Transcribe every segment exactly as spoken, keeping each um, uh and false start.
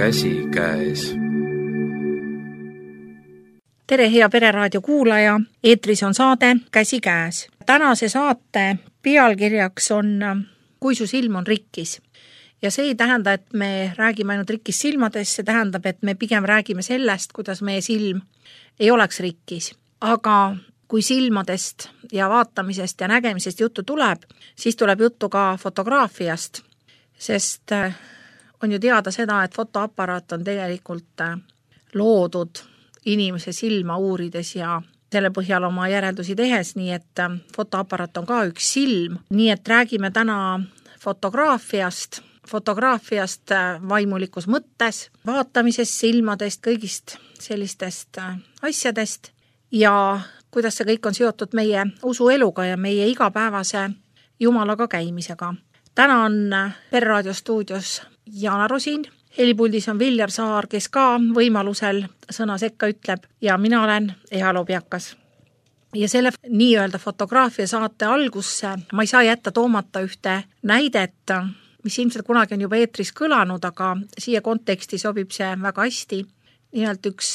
käsikäes. Tere, hea Pereraadio kuulaja! Eetris on saade Käsikäes. Tänase saate pealkirjaks on Kui su silm on rikkis. Ja see ei tähenda, et me räägime ainult rikkis silmades, see tähendab, et me pigem räägime sellest, kuidas meie silm ei oleks rikkis. Aga kui silmadest ja vaatamisest ja nägemisest juttu tuleb, siis tuleb juttu ka fotograafiast, sest on ju teada seda, et fotoaparaat on tegelikult loodud inimese silma uurides ja selle põhjal oma järeldusi tehes, nii et fotoaparaat on ka üks silm. Nii et räägime täna fotograafiast, fotograafiast vaimulikus mõttes, vaatamisest, silmadest, kõigist sellistest asjadest ja kuidas see kõik on seotud meie usueluga ja meie igapäevase Jumalaga käimisega. Täna on Pereraadio stuudios Jana Rosin, helipuldis on Viljar Saar, kes ka võimalusel sõna sekka ütleb ja mina olen Eha Lobjakas. Ja selle nii-öelda fotograafia saate algusse ma ei saa jätta toomata ühte näidet, mis ilmselt kunagi on juba eetris kõlanud, aga siia konteksti sobib see väga hästi. Nimelt üks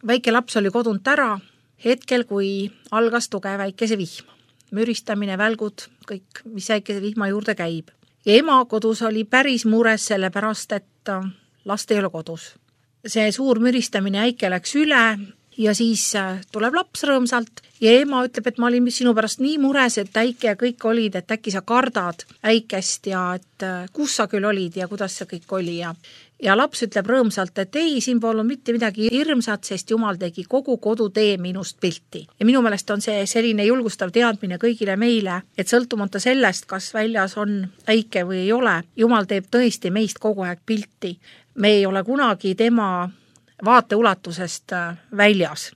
väike laps oli kodunt ära hetkel, kui algas tugev väikese vihm. Müristamine, välgud, kõik, mis väikese vihma juurde käib. Ja ema kodus oli päris mures selle pärast, et last ei ole kodus. See suur müristamine äike läks üle ja siis tuleb laps rõõmsalt ja ema ütleb, et ma olin sinu pärast nii mures, et äike ja kõik olid, et äkki sa kardad äikest ja et kus sa küll olid ja kuidas see kõik oli. Ja, ja laps ütleb rõõmsalt, et ei, siin polnud mitte midagi hirmsat, sest Jumal tegi kogu kodutee minust pilti. Ja minu meelest on see selline julgustav teadmine kõigile meile, et sõltumata sellest, kas väljas on äike või ei ole, Jumal teeb tõesti meist kogu aeg pilti. Me ei ole kunagi tema vaateulatusest väljas.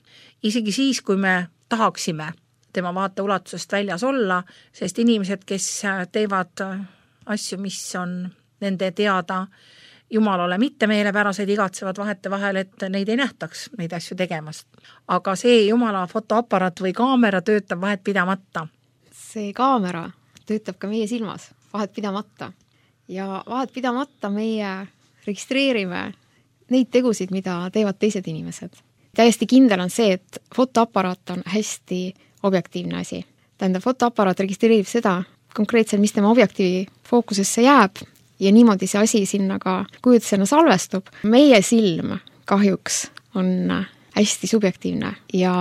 Isegi siis, kui me tahaksime tema vaateulatusest väljas olla, sest inimesed, kes teevad asju, mis on nende teada Jumalale mitte meelepäraseid, igatsevad vahete vahel, et neid ei nähtaks neid asju tegemast. Aga see Jumala fotoaparaat või kaamera töötab vahet pidamata. See kaamera töötab ka meie silmas vahet pidamata. Ja vahet pidamata meie registreerime neid tegusid, mida teevad teised inimesed. Täiesti kindel on see, et fotoaparaat on hästi objektiivne asi. Tähendab, fotoaparaat registreerib seda konkreetselt, mis tema objektiivi fookusesse jääb ja niimoodi see asi sinna ka kujutisena salvestub. Meie silm kahjuks on hästi subjektiivne ja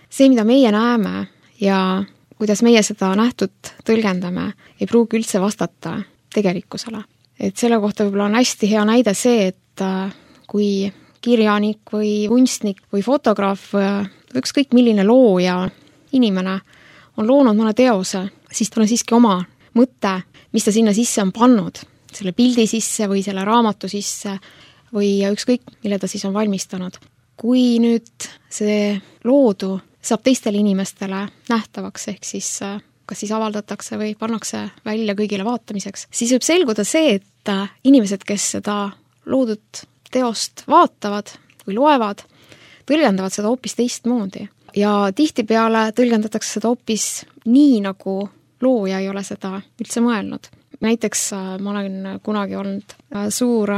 see, mida meie näeme ja kuidas meie seda nähtut tõlgendame, ei pruugi üldse vastata tegelikkusele. Et selle kohta võib-olla on hästi hea näide see, et kui kirjanik või kunstnik või fotograaf või ükskõik milline looja inimene on loonud mõne teose, siis tal on siiski oma mõte, mis ta sinna sisse on pannud, selle pildi sisse või selle raamatu sisse või ükskõik, mille ta siis on valmistanud. Kui nüüd see loodu saab teistele inimestele nähtavaks, ehk siis kas siis avaldatakse või pannakse välja kõigile vaatamiseks, siis võib selguda see, et inimesed, kes seda loodud teost vaatavad või loevad, tõlgendavad seda hoopis teistmoodi. Ja tihtipeale tõlgendatakse seda hoopis nii, nagu looja ei ole seda üldse mõelnud. Näiteks ma olen kunagi olnud suur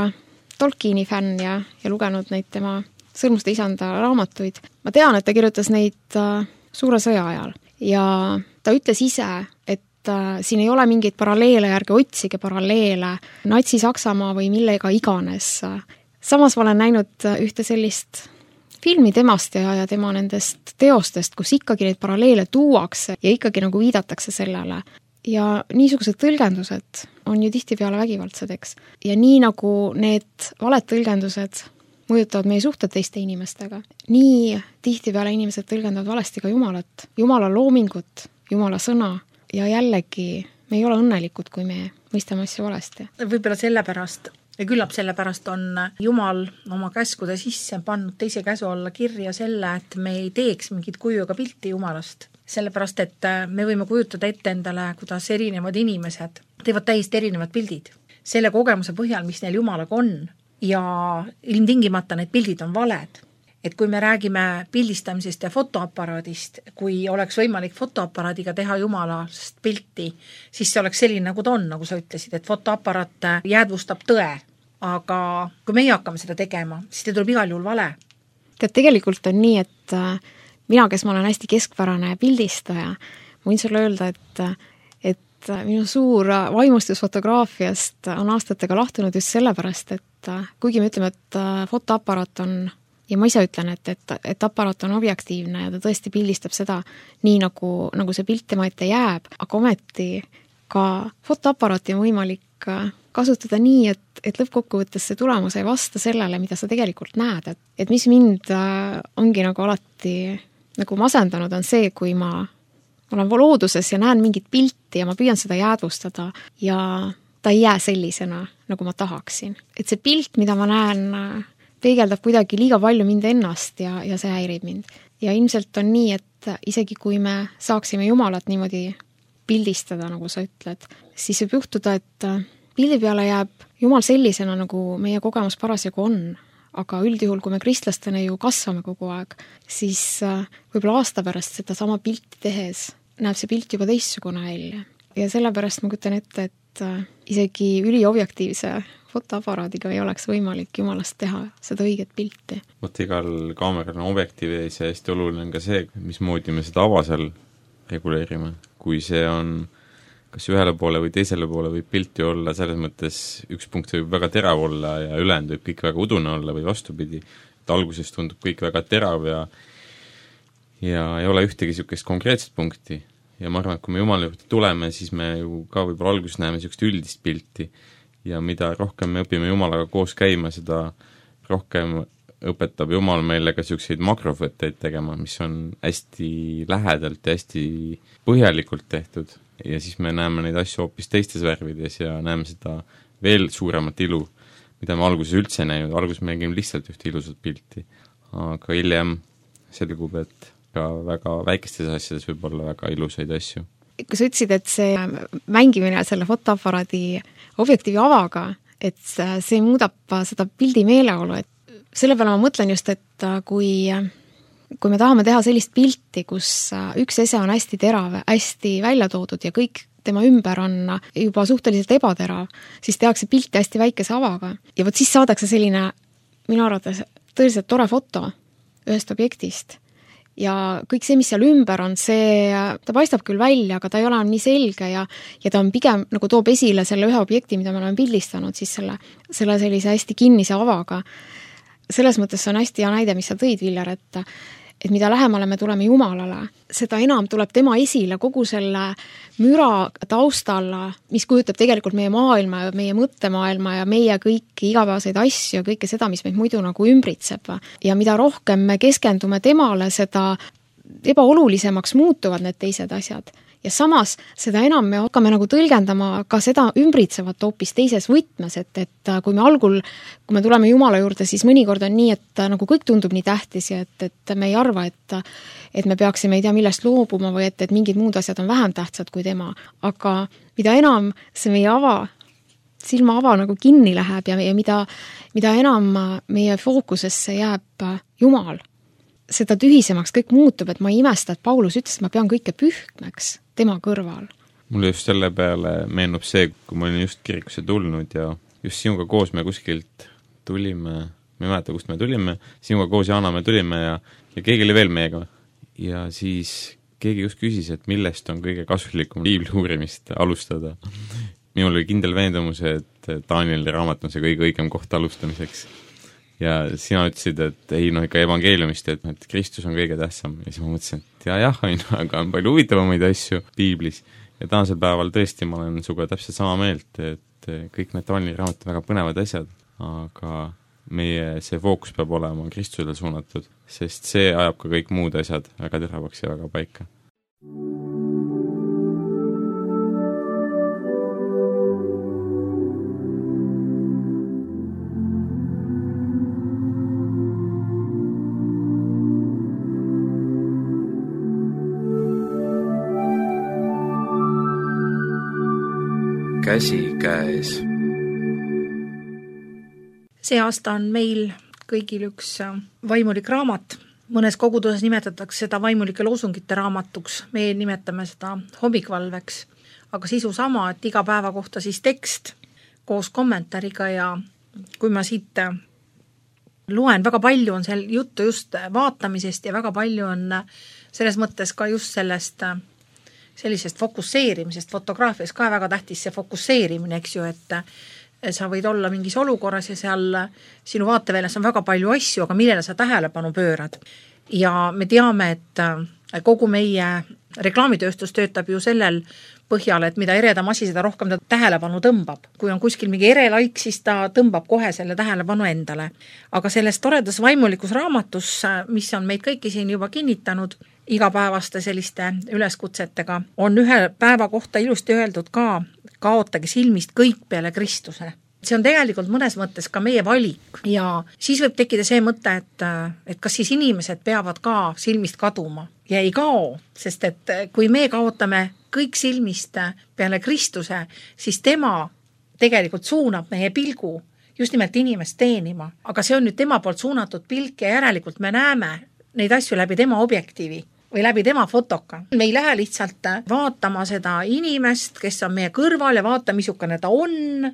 Tolkieni fänn ja, ja lugenud neid tema Sõrmuste isanda raamatuid. Ma tean, et ta kirjutas neid suure sõja ajal ja ta ütles ise, et siin ei ole mingeid paralleele, järgi otsige paralleele Natsi-Saksamaa või millega iganes. Samas ma olen näinud ühte sellist filmi temast ja, ja tema nendest teostest, kus ikkagi neid paralleele tuuakse ja ikkagi nagu viidatakse sellele. Ja niisugused tõlgendused on ju tihtipeale vägivaldsed, eks. Ja nii nagu need valed tõlgendused mõjutavad meie suhted teiste inimestega, nii tihtipeale inimesed tõlgendavad valesti ka Jumalat, Jumala loomingut, Jumala sõna ja jällegi me ei ole õnnelikud, kui me mõistame asju valesti. Võib-olla sellepärast ja küllap sellepärast on Jumal oma käskude sisse pannud teise käsu alla kirja selle, et me ei teeks mingit kujuga pilti Jumalast. Sellepärast, et me võime kujutada ette endale, kuidas erinevad inimesed teevad täiesti erinevad pildid. Selle kogemuse põhjal, mis neil Jumalaga on ja ilmtingimata need pildid on valed. Et kui me räägime pildistamisest ja fotoaparaadist, kui oleks võimalik fotoaparaadiga teha Jumalast pilti, siis see oleks selline, nagu ta on, nagu sa ütlesid, et fotoaparaat jäädvustab tõe. aga kui meie hakkame seda tegema, siis ta tuleb igal juhul vale. Tead, tegelikult on nii, et mina, kes ma olen hästi keskpärane pildistaja, ma võin sulle öelda, et et minu suur vaimustus fotograafiast on aastatega lahtunud just sellepärast, et kuigi me ütleme, et fotoaparaat on, ja ma ise ütlen, et, et, et aparaat on objektiivne ja ta tõesti pildistab seda nii, nagu, nagu see pilt tema ette jääb, aga ometi ka fotoaparaati on võimalik kasutada nii, et, et lõppkokkuvõttes see tulemus ei vasta sellele, mida sa tegelikult näed. Et, et mis mind ongi nagu alati nagu masendanud, on see, kui ma olen looduses ja näen mingit pilti ja ma püüan seda jäädvustada ja ta ei jää sellisena, nagu ma tahaksin. Et see pilt, mida ma näen, peegeldab kuidagi liiga palju mind ennast ja, ja see häirib mind. Ja ilmselt on nii, et isegi kui me saaksime Jumalat niimoodi pildistada, nagu sa ütled, siis võib juhtuda, et pildi peale jääb Jumal sellisena, nagu meie kogemus parasjagu on. Aga üldjuhul, kui me kristlastena ju kasvame kogu aeg, siis võib-olla aasta pärast seda sama pilti tehes näeb see pilt juba teistsugune välja. Ja sellepärast ma kujutan ette, et isegi üliobjektiivse fotoaparaadiga ei oleks võimalik Jumalast teha seda õiget pilti. Vot igal kaameral on objektiiv ja hästi oluline on ka see, mismoodi me seda ava seal reguleerime. Kui see on kas ühele poole või teisele poole võib pilti olla, selles mõttes üks punkt võib väga terav olla ja ülejäänud võib kõik väga udune olla või vastupidi, et alguses tundub kõik väga terav ja ja ei ole ühtegi niisugust konkreetset punkti. Ja ma arvan, et kui me Jumala juurde tuleme, siis me ju ka võib-olla alguses näeme niisugust üldist pilti ja mida rohkem me õpime Jumalaga koos käima, seda rohkem õpetab Jumal meile ka niisuguseid makrofõtteid tegema, mis on hästi lähedalt ja hästi põhjalikult tehtud. Ja siis me näeme neid asju hoopis teistes värvides ja näeme seda veel suuremat ilu, mida me alguses üldse ei näinud. Alguses me nägime lihtsalt ühte ilusat pilti, aga hiljem selgub, et ka väga väikestes asjades võib olla väga ilusaid asju. Kui sa ütlesid, et see mängimine selle fotoaparaadi objektiivi avaga, et see muudab seda pildi meeleolu, et selle peale ma mõtlen just, et kui kui me tahame teha sellist pilti, kus üks ese on hästi terav, hästi välja toodud ja kõik tema ümber on juba suhteliselt ebaterav, siis tehakse pilti hästi väikese avaga. Ja võt siis saadakse selline, minu arvates, tõeliselt tore foto ühest objektist. Ja kõik see, mis seal ümber on, see, ta paistab küll välja, aga ta ei ole nii selge ja, ja ta on pigem nagu toob esile selle ühe objekti, mida me oleme pildistanud, siis selle, selle sellise hästi kinnise avaga. Selles mõttes on hästi hea näide, mis sa tõid, Viljar, et, et mida lähemale me tuleme Jumalale, seda enam tuleb tema esile kogu selle müra taustalla, mis kujutab tegelikult meie maailma ja meie mõttemaailma ja meie kõiki igapäevaseid asju ja kõike seda, mis meid muidu nagu ümbritseb. Ja mida rohkem me keskendume temale, seda ebaolulisemaks muutuvad need teised asjad. Ja samas seda enam me hakkame nagu tõlgendama ka seda ümbritsevat hoopis teises võtmes, et, et kui me algul, kui me tuleme Jumala juurde, siis mõnikord on nii, et nagu kõik tundub nii tähtis ja et, et me ei arva, et, et me peaksime ei tea millest loobuma või et, et mingid muud asjad on vähem tähtsad kui tema. Aga mida enam see meie ava, silma ava nagu kinni läheb ja, ja mida, mida enam meie fookusesse jääb Jumal, seda tühisemaks kõik muutub, et ma ei imesta, et Paulus ütles, et ma pean kõike pühkmeks tema kõrval. Mulle just selle peale meenub see, kui ma olin just kirikusse tulnud ja just sinuga koos me kuskilt tulime, ma ei mäleta, kust me tulime, sinuga koos Jaana me tulime ja, ja keegi oli veel meiega. Ja siis keegi just küsis, et millest on kõige kasulikum piibli uurimist alustada. Minul oli kindel veendumus, et Danieli raamat on see kõige õigem koht alustamiseks. Ja sina ütlesid, et ei noh, ikka evangeeliumist, et, et Kristus on kõige tähtsam. Ja siis ma mõtlesin, et jah, jah, aga on palju huvitavamaid asju piiblis. Ja tänasel päeval tõesti ma olen suga täpselt sama meelt, et kõik need Danieli raamat on väga põnevad asjad, aga meie see fookus peab olema Kristusele suunatud, sest see ajab ka kõik muud asjad väga teravaks ja väga paika. Käsi käes. See aasta on meil kõigil üks vaimulik raamat. Mõnes koguduses nimetatakse seda vaimulike loosungite raamatuks. Me nimetame seda hommikvalveks. Aga sisu sama, et iga päeva kohta siis tekst koos kommentaariga ja kui ma siit loen, väga palju on seal juttu just vaatamisest ja väga palju on selles mõttes ka just sellest sellisest fokusseerimisest, fotograafias ka väga tähtis see fokusseerimine, eks ju, et sa võid olla mingis olukorras ja seal sinu vaateväljast on väga palju asju, aga millele sa tähelepanu pöörad. Ja me teame, et kogu meie reklaamitööstus töötab ju sellel põhjal, et mida eredam asi, seda rohkem ta tähelepanu tõmbab. Kui on kuskil mingi erelaik, siis ta tõmbab kohe selle tähelepanu endale. Aga selles toredas vaimulikus raamatus, mis on meid kõiki siin juba kinnitanud, igapäevaste selliste üleskutsetega, on ühe päeva kohta ilusti öeldud ka, kaotage silmist kõik peale Kristuse. See on tegelikult mõnes mõttes ka meie valik ja siis võib tekkida see mõte, et, et kas siis inimesed peavad ka silmist kaduma ja ei kao, sest et kui me kaotame kõik silmist peale Kristuse, siis tema tegelikult suunab meie pilgu just nimelt inimest teenima, aga see on nüüd tema poolt suunatud pilk ja järelikult me näeme neid asju läbi tema objektiivi või läbi tema fotoka. Me ei lähe lihtsalt vaatama seda inimest, kes on meie kõrval ja vaata, missugune ta on,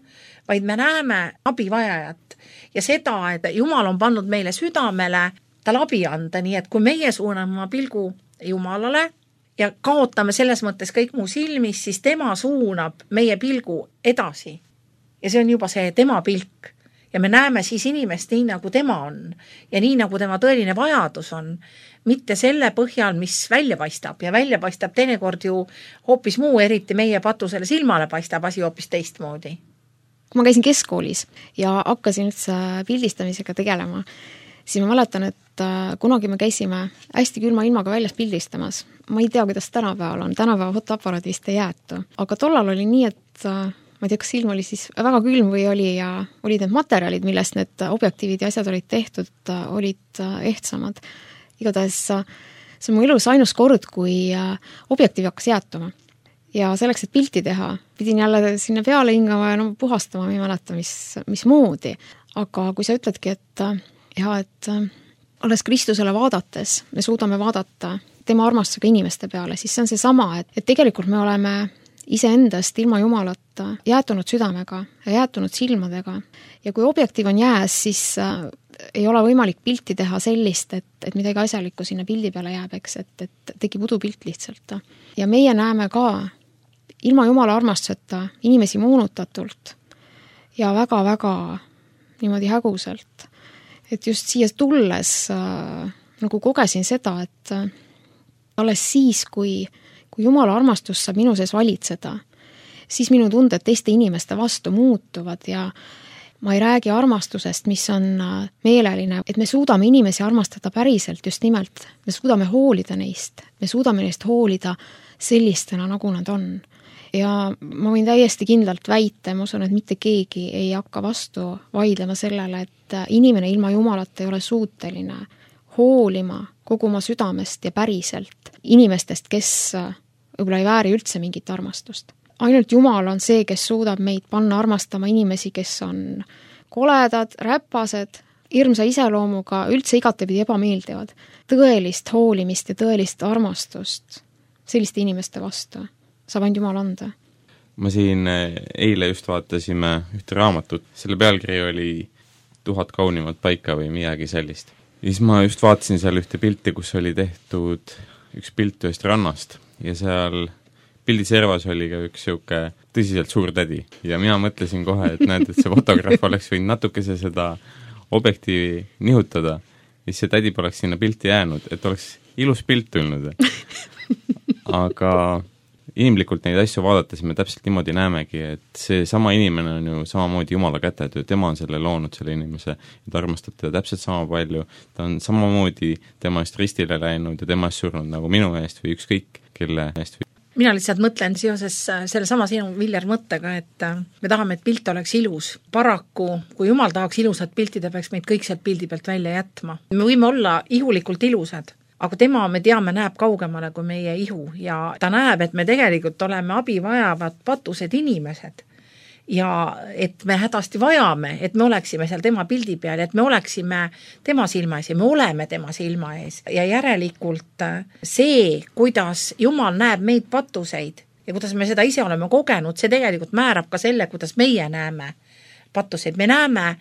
vaid me näeme abivajajat ja seda, et Jumal on pannud meile südamele tal abi anda, nii et kui meie suuname oma pilgu Jumalale ja kaotame selles mõttes kõik muu silmis, siis tema suunab meie pilgu edasi. Ja see on juba see tema pilk. Ja me näeme siis inimest nii, nagu tema on ja nii, nagu tema tõeline vajadus on, mitte selle põhjal, mis välja paistab ja välja paistab teinekord ju hoopis muu, eriti meie patusele silmale paistab asi hoopis teistmoodi. Kui ma käisin keskkoolis ja hakkasin üldse pildistamisega tegelema, siis ma mäletan, et kunagi me käisime hästi külma ilmaga väljas pildistamas. Ma ei tea, kuidas tänapäeval on, tänapäeva fotoaparaat vist ei jäetu, aga tollal oli nii, et ma ei tea, kas ilm oli siis väga külm või oli ja olid need materjalid, millest need objektiivid ja asjad olid tehtud, olid ehtsamad. Igatahes see on mu elus ainus kord, kui objektiiv hakkas jäätuma. Ja selleks, et pilti teha, pidin jälle sinna peale hingama ja no, puhastama, ma ei mäleta, mis, mis moodi. Aga kui sa ütledki, et, ja, et alles Kristusele vaadates me suudame vaadata tema armastusega inimeste peale, siis see on see sama, et, et tegelikult me oleme iseendast ilma Jumalata jäätunud südamega ja jäätunud silmadega. Ja kui objektiiv on jääs, siis äh, ei ole võimalik pilti teha sellist, et, et midagi asjalikku sinna pildi peale jääb, eks, et, et tekib udupilt lihtsalt. Ja meie näeme ka ilma Jumala armastuseta inimesi moonutatult ja väga-väga niimoodi häguselt. Et just siia tulles äh, nagu kogesin seda, et äh, alles siis, kui kui Jumala armastus saab minu sees valitseda, siis minu tunded teiste inimeste vastu muutuvad ja ma ei räägi armastusest, mis on meeleline, et me suudame inimesi armastada päriselt just nimelt. Me suudame hoolida neist, me suudame neist hoolida sellistena, nagu nad on. Ja ma võin täiesti kindlalt väita, ma usun, et mitte keegi ei hakka vastu vaidlema sellele, et inimene ilma Jumalata ei ole suuteline hoolima kogu oma südamest ja päriselt inimestest, kes võib-olla ei vääri üldse mingit armastust. Ainult Jumal on see, kes suudab meid panna armastama inimesi, kes on koledad, räpased, hirmsa iseloomuga, üldse igatepidi ebameeldivad. Tõelist hoolimist ja tõelist armastust selliste inimeste vastu saab ainult Jumal anda. Ma siin eile just vaatasime ühte raamatut, selle pealkiri oli tuhat kaunimat paika või midagi sellist. Ja siis ma just vaatasin seal ühte pilti, kus oli tehtud üks pilt ühest rannast ja seal pildi servas oli ka üks siuke tõsiselt suur tädi ja mina mõtlesin kohe, et näed, et see fotograaf oleks võinud natukese seda objektiivi nihutada ja see tädi poleks sinna pilti jäänud, et oleks ilus pilt tulnud. Aga inimlikult neid asju vaadates me täpselt niimoodi näemegi, et see sama inimene on ju samamoodi Jumala käted, tema on selle loonud, selle inimese, ja ta armastab teda täpselt sama palju, ta on samamoodi tema eest ristile läinud ja tema eest surnud nagu minu eest või ükskõik kelle eest. Mina lihtsalt mõtlen seoses selle sama sinu Viljar mõttega, et me tahame, et pilt oleks ilus. Paraku, kui Jumal tahaks ilusat pilti, ta peaks meid kõik sealt pildi pealt välja jätma. Me võime olla ihulikult ilusad, aga tema, me teame, näeb kaugemale kui meie ihu ja ta näeb, et me tegelikult oleme abi vajavad patused inimesed ja et me hädasti vajame, et me oleksime seal tema pildi peal, et me oleksime tema silma ees ja me oleme tema silma ees ja järelikult see, kuidas Jumal näeb meid patuseid ja kuidas me seda ise oleme kogenud, see tegelikult määrab ka selle, kuidas meie näeme patuseid. Me näeme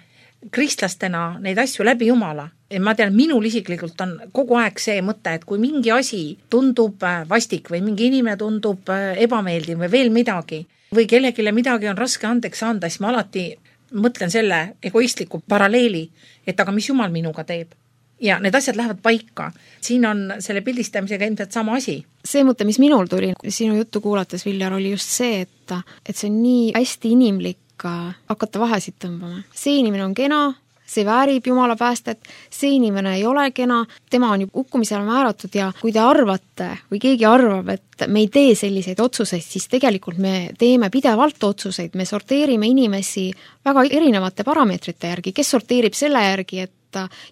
kristlastena neid asju läbi Jumala. Ja ma tean, minul isiklikult on kogu aeg see mõte, et kui mingi asi tundub vastik või mingi inimene tundub ebameeldiv või veel midagi või kellegile midagi on raske andeks anda, siis ma alati mõtlen selle egoistliku paralleeli, et aga mis Jumal minuga teeb. Ja need asjad lähevad paika. Siin on selle pildistamisega ilmselt sama asi. See mõte, mis minul tuli sinu juttu kuulates, Viljar, oli just see, et, et see on nii hästi inimlik hakata vahesid tõmbama. See inimene on kena, see väärib Jumala päästet, see inimene ei ole kena, tema on ju hukkumisele määratud ja kui te arvate või keegi arvab, et me ei tee selliseid otsuseid, siis tegelikult me teeme pidevalt otsuseid, me sorteerime inimesi väga erinevate parameetrite järgi, kes sorteerib selle järgi, et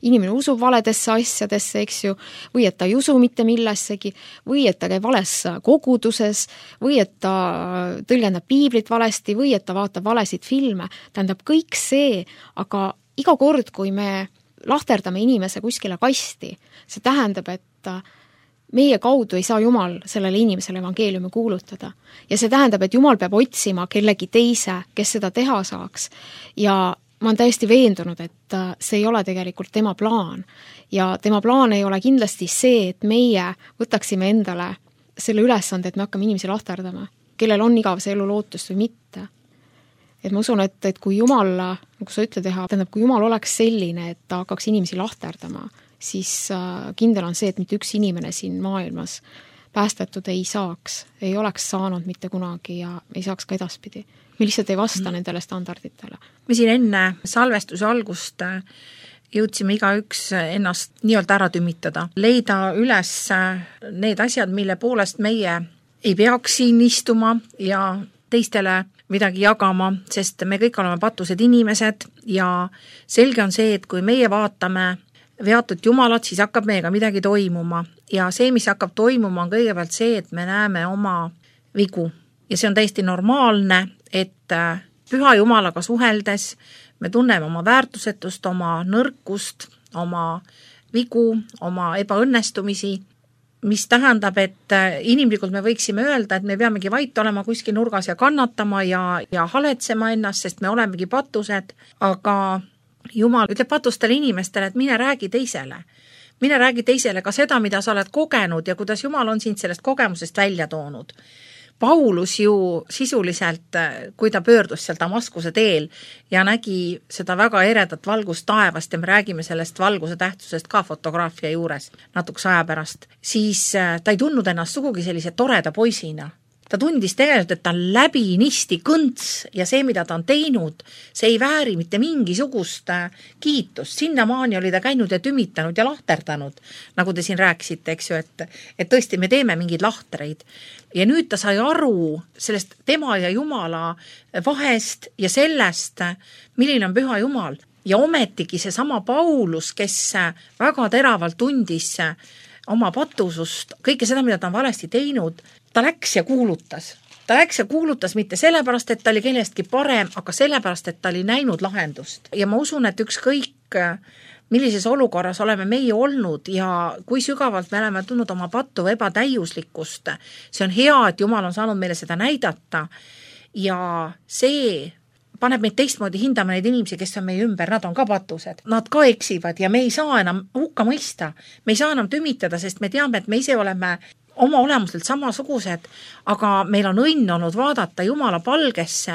inimene usub valedesse asjadesse, eks ju, või et ta ei usu mitte millessegi, või et ta käib vales koguduses, või et ta tõlgendab piiblit valesti, või et ta vaatab valesid filme. Tähendab kõik see, aga iga kord, kui me lahterdame inimese kuskile kasti, see tähendab, et meie kaudu ei saa Jumal sellele inimesele evangeeliumi kuulutada. Ja see tähendab, et Jumal peab otsima kellegi teise, kes seda teha saaks. Ja ma olen täiesti veendunud, et see ei ole tegelikult tema plaan. Ja tema plaan ei ole kindlasti see, et meie võtaksime endale selle ülesande, et me hakkame inimesi lahterdama, kellel on igav see elu lootust või mitte. Et ma usun, et, et kui Jumal, nagu sa ütled teha, tähendab, kui Jumal oleks selline, et ta hakkaks inimesi lahterdama, siis kindel on see, et mitte üks inimene siin maailmas päästetud ei saaks, ei oleks saanud mitte kunagi ja ei saaks ka edaspidi. Me lihtsalt ei vasta mm. nendele standarditele. Me siin enne salvestuse algust jõudsime igaüks ennast nii-öelda ära tümitada, leida üles need asjad, mille poolest meie ei peaks siin istuma ja teistele midagi jagama, sest me kõik oleme patused inimesed ja selge on see, et kui meie vaatame veatud Jumalat, siis hakkab meiega midagi toimuma ja see, mis hakkab toimuma, on kõigepealt see, et me näeme oma vigu ja see on täiesti normaalne, et püha Jumalaga suheldes me tunneme oma väärtusetust, oma nõrkust, oma vigu, oma ebaõnnestumisi, mis tähendab, et inimlikult me võiksime öelda, et me peamegi vait olema kuskil nurgas ja kannatama ja, ja haletsema ennast, sest me olemegi patused, aga Jumal ütleb patustele inimestele, et mine räägi teisele. Mine räägi teisele ka seda, mida sa oled kogenud ja kuidas Jumal on sind sellest kogemusest välja toonud. Paulus ju sisuliselt, kui ta pöördus seal Damaskuse teel ja nägi seda väga eredat valgust taevast ja me räägime sellest valguse tähtsusest ka fotograafia juures natukese aja pärast, siis ta ei tundnud ennast sugugi sellise toreda poisina. Ta tundis tegelikult, et ta on läbinisti kõnts ja see, mida ta on teinud, see ei vääri mitte mingisugust kiitust. Sinnamaani oli ta käinud ja tümitanud ja lahterdanud, nagu te siin rääkisite, eks ju, et, et tõesti me teeme mingeid lahtreid. Ja nüüd ta sai aru sellest tema ja Jumala vahest ja sellest, milline on püha Jumal. Ja ometigi see sama Paulus, kes väga teravalt tundis oma patusust, kõike seda, mida ta on valesti teinud, ta läks ja kuulutas. Ta läks ja kuulutas mitte sellepärast, et ta oli kellestki parem, aga sellepärast, et ta oli näinud lahendust. Ja ma usun, et ükskõik millises olukorras oleme meie olnud ja kui sügavalt me oleme tundnud oma pattu või ebatäiuslikkust, see on hea, et Jumal on saanud meile seda näidata ja see paneb meid teistmoodi hindama neid inimesi, kes on meie ümber, nad on ka patused, nad ka eksivad ja me ei saa enam hukka mõista, me ei saa enam tümitada, sest me teame, et me ise oleme oma olemuselt samasugused, aga meil on õnn olnud vaadata Jumala palgesse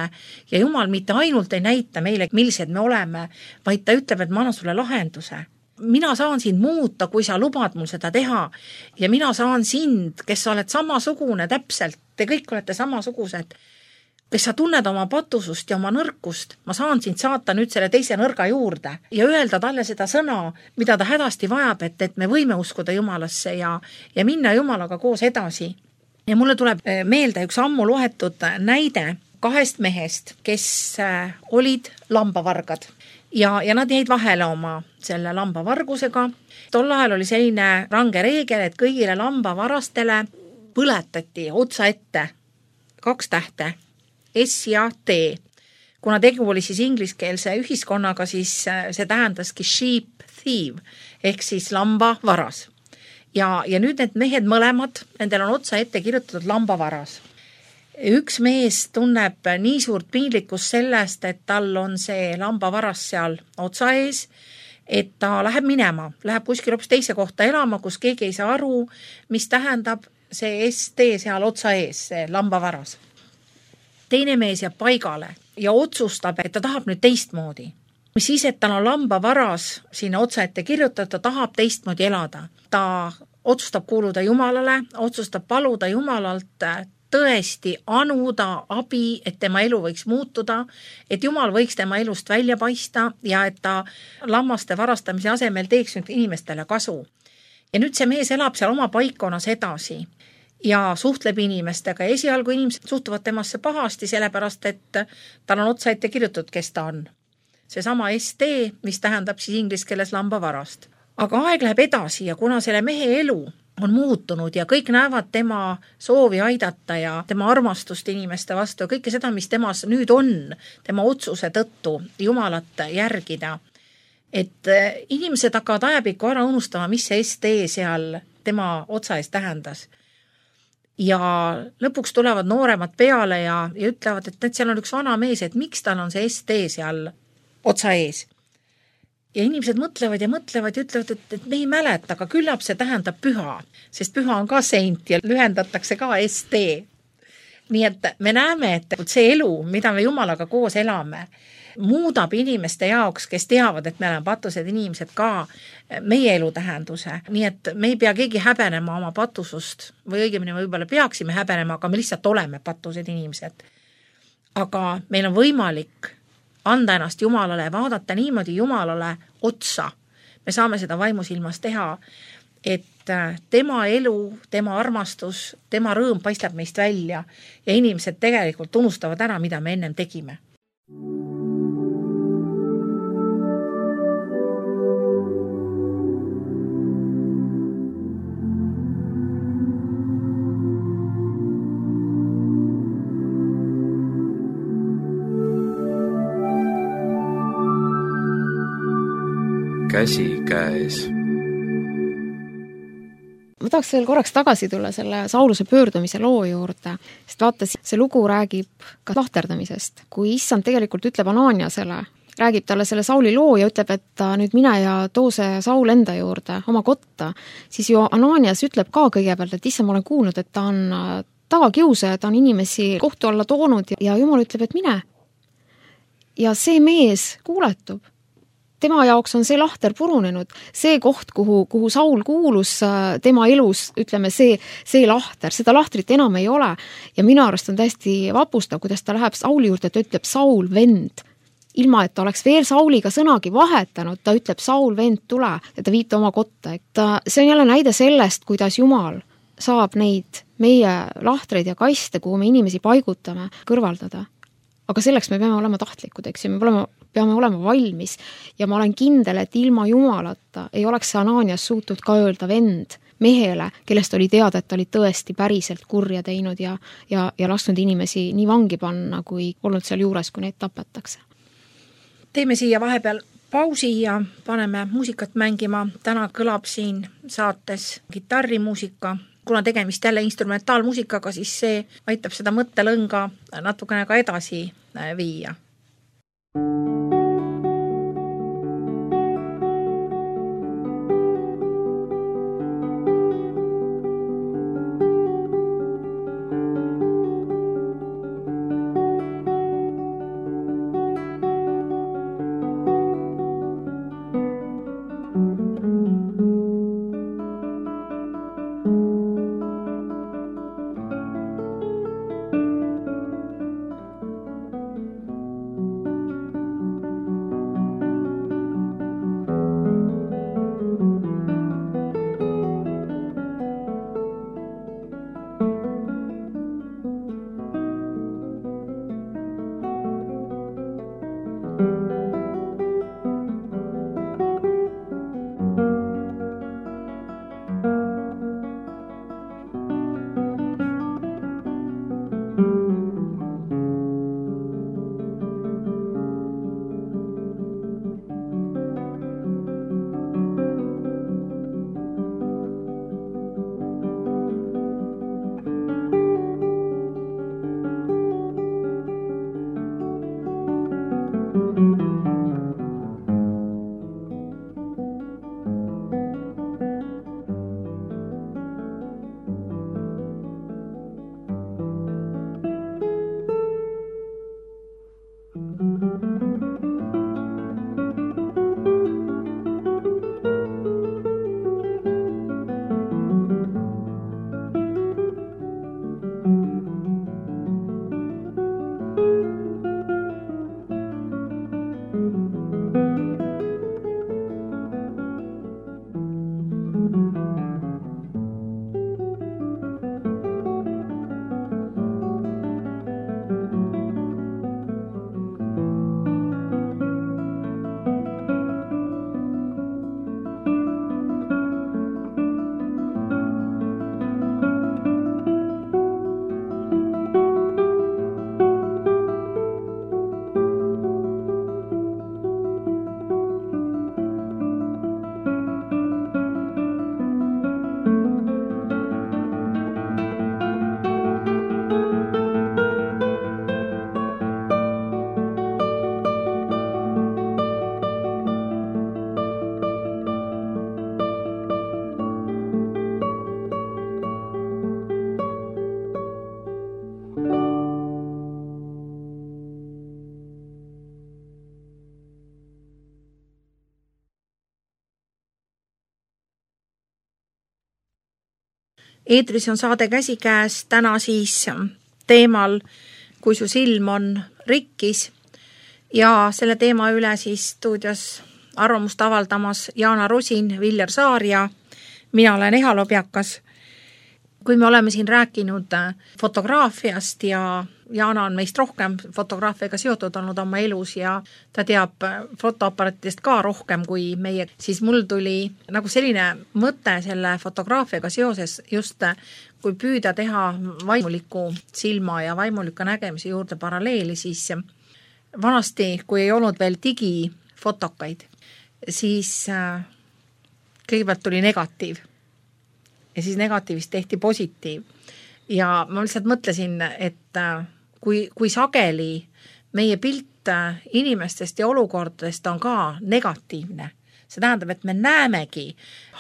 ja Jumal mitte ainult ei näita meile, millised me oleme, vaid ta ütleb, et ma annan sulle lahenduse. Mina saan sind muuta, kui sa lubad mul seda teha ja mina saan sind, kes sa oled samasugune täpselt, te kõik olete samasugused, kes sa tunned oma patusust ja oma nõrkust, ma saan sind saata nüüd selle teise nõrga juurde ja öelda talle seda sõna, mida ta hädasti vajab, et, et me võime uskuda Jumalasse ja, ja minna Jumalaga koos edasi. Ja mulle tuleb meelde üks ammu loetud näide kahest mehest, kes olid lambavargad ja, ja nad jäid vahele oma selle lambavargusega. Tol ajal oli selline range reegel, et kõigile lambavarastele põletati otsa ette kaks tähte, S ja T. Kuna tegu oli siis ingliskeelse ühiskonnaga, siis see tähendaski sheep thief, ehk siis lamba varas. Ja, ja nüüd need mehed mõlemad, nendel on otsa ette kirjutatud lamba varas. üks mees tunneb nii suurt piinlikkust sellest, et tal on see lambavaras seal otsa ees, et ta läheb minema, läheb kuskil hoopis teise kohta elama, kus keegi ei saa aru, mis tähendab see S T seal otsa ees, see lambavaras. Teine mees jääb paigale ja otsustab, et ta tahab nüüd teistmoodi. Mis siis, et tal on lambavaras sinna otsa ette kirjutada, ta tahab teistmoodi elada. Ta otsustab kuuluda Jumalale, otsustab paluda Jumalalt tõesti anuda abi, et tema elu võiks muutuda, et Jumal võiks tema elust välja paista ja et ta lammaste varastamise asemel teeks nüüd inimestele kasu. Ja nüüd see mees elab seal oma paikkonnas edasi ja suhtleb inimestega ja esialgu inimesed suhtuvad temasse pahasti, sellepärast et tal on otsa ette kirjutatud, kes ta on. Seesama S T, mis tähendab siis inglise keeles lambavarast. Aga aeg läheb edasi ja kuna selle mehe elu on muutunud ja kõik näevad tema soovi aidata ja tema armastust inimeste vastu ja kõike seda, mis temas nüüd on, tema otsuse tõttu Jumalat järgida, et inimesed hakkavad ajapikku ära unustama, mis see S T seal tema otsa ees tähendas. Ja lõpuks tulevad nooremad peale ja, ja ütlevad, et, et seal on üks vana mees, et miks tal on see S T seal otsa ees. Ja inimesed mõtlevad ja mõtlevad ja ütlevad, et, et me ei mäleta, aga küllap see tähendab püha, sest püha on ka seint ja lühendatakse ka S T. Nii et me näeme, et see elu, mida me Jumalaga koos elame, muudab inimeste jaoks, kes teavad, et me oleme patused inimesed ka meie elu tähenduse. Nii et me ei pea keegi häbenema oma patusust või õigemini võib-olla peaksime häbenema, aga me lihtsalt oleme patused inimesed. Aga meil on võimalik anda ennast Jumalale, vaadata niimoodi Jumalale otsa. Me saame seda vaimusilmas teha, et tema elu, tema armastus, tema rõõm paistab meist välja ja inimesed tegelikult unustavad ära, mida me ennem tegime. Käsi käes. Ma tahaks veel korraks tagasi tulla selle Sauluse pöördumise loo juurde, sest vaata, see lugu räägib ka lahterdamisest. Kui issand tegelikult ütleb Ananiasele, räägib talle selle Sauli loo ja ütleb, et nüüd mine ja too see Saul enda juurde, oma kotta, siis ju Ananias ütleb ka kõigepealt, et issand, ma olen kuulnud, et ta on tagakiusaja, ta on inimesi kohtu alla toonud ja Jumal ütleb, et mine. Ja see mees kuuletub. Tema jaoks on see lahter purunenud, see koht, kuhu, kuhu Saul kuulus tema elus, ütleme, see, see lahter, seda lahtrit enam ei ole. Ja minu arust on täiesti vapustav, kuidas ta läheb Sauli juurde, ta ütleb Saul vend. Ilma, et ta oleks veel Sauliga sõnagi vahetanud, ta ütleb Saul vend tule ja ta viita oma kotta. Ta, see on jälle näide sellest, kuidas Jumal saab neid meie lahtreid ja kaste, kuhu me inimesi paigutame, kõrvaldada. Aga selleks me peame olema tahtlikud, eks ju, me peame, peame olema valmis ja ma olen kindel, et ilma Jumalata ei oleks see Ananias suutnud ka öelda vend mehele, kellest oli teada, et ta oli tõesti päriselt kurja teinud ja, ja, ja lasknud inimesi nii vangi panna, kui olnud seal juures, kui neid tapetakse. Teeme siia vahepeal pausi ja paneme muusikat mängima. Täna kõlab siin saates kitarrimuusika. Kuna tegemist jälle instrumentaalmuusikaga, siis see aitab seda mõttelõnga natukene ka edasi viia. Eetris on saade Käsikäes, täna siis teemal Kui su silm on rikkis ja selle teema üle siis stuudios arvamust avaldamas Jaana Rosin, Viljar Saar ja mina olen Eha Lobjakas. Kui me oleme siin rääkinud fotograafiast ja Jaana on meist rohkem fotograafiaga seotud olnud oma elus ja ta teab fotoaparaatidest ka rohkem kui meie, siis mul tuli nagu selline mõte selle fotograafiaga seoses just kui püüda teha vaimuliku silma ja vaimuliku nägemise juurde paralleeli, siis vanasti, kui ei olnud veel digifotokaid, siis kõigepealt tuli negatiiv ja siis negatiivist tehti positiiv. Ja ma lihtsalt mõtlesin, et kui, kui sageli meie pilt inimestest ja olukordadest on ka negatiivne, see tähendab, et me näemegi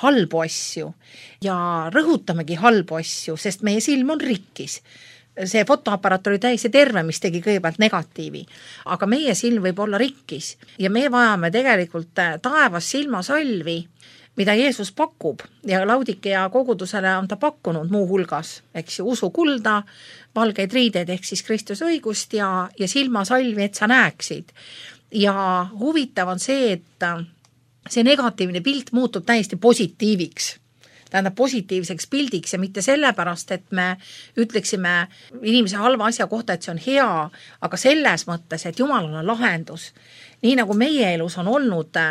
halbu asju ja rõhutamegi halbu asju, sest meie silm on rikkis. See fotoaparaat oli täiesti terve, mis tegi kõigepealt negatiivi, aga meie silm võib olla rikkis ja me vajame tegelikult taevas silmasalvi, mida Jeesus pakub ja Laudikea kogudusele on ta pakkunud muu hulgas, eks ju, usu kulda, valgeid riideid ehk siis Kristuse õigust ja, ja silmasalvi, et sa näeksid. Ja huvitav on see, et see negatiivne pilt muutub täiesti positiiviks, tähendab positiivseks pildiks ja mitte sellepärast, et me ütleksime inimese halva asja kohta, et see on hea, aga selles mõttes, et Jumalal on lahendus. Nii nagu meie elus on olnud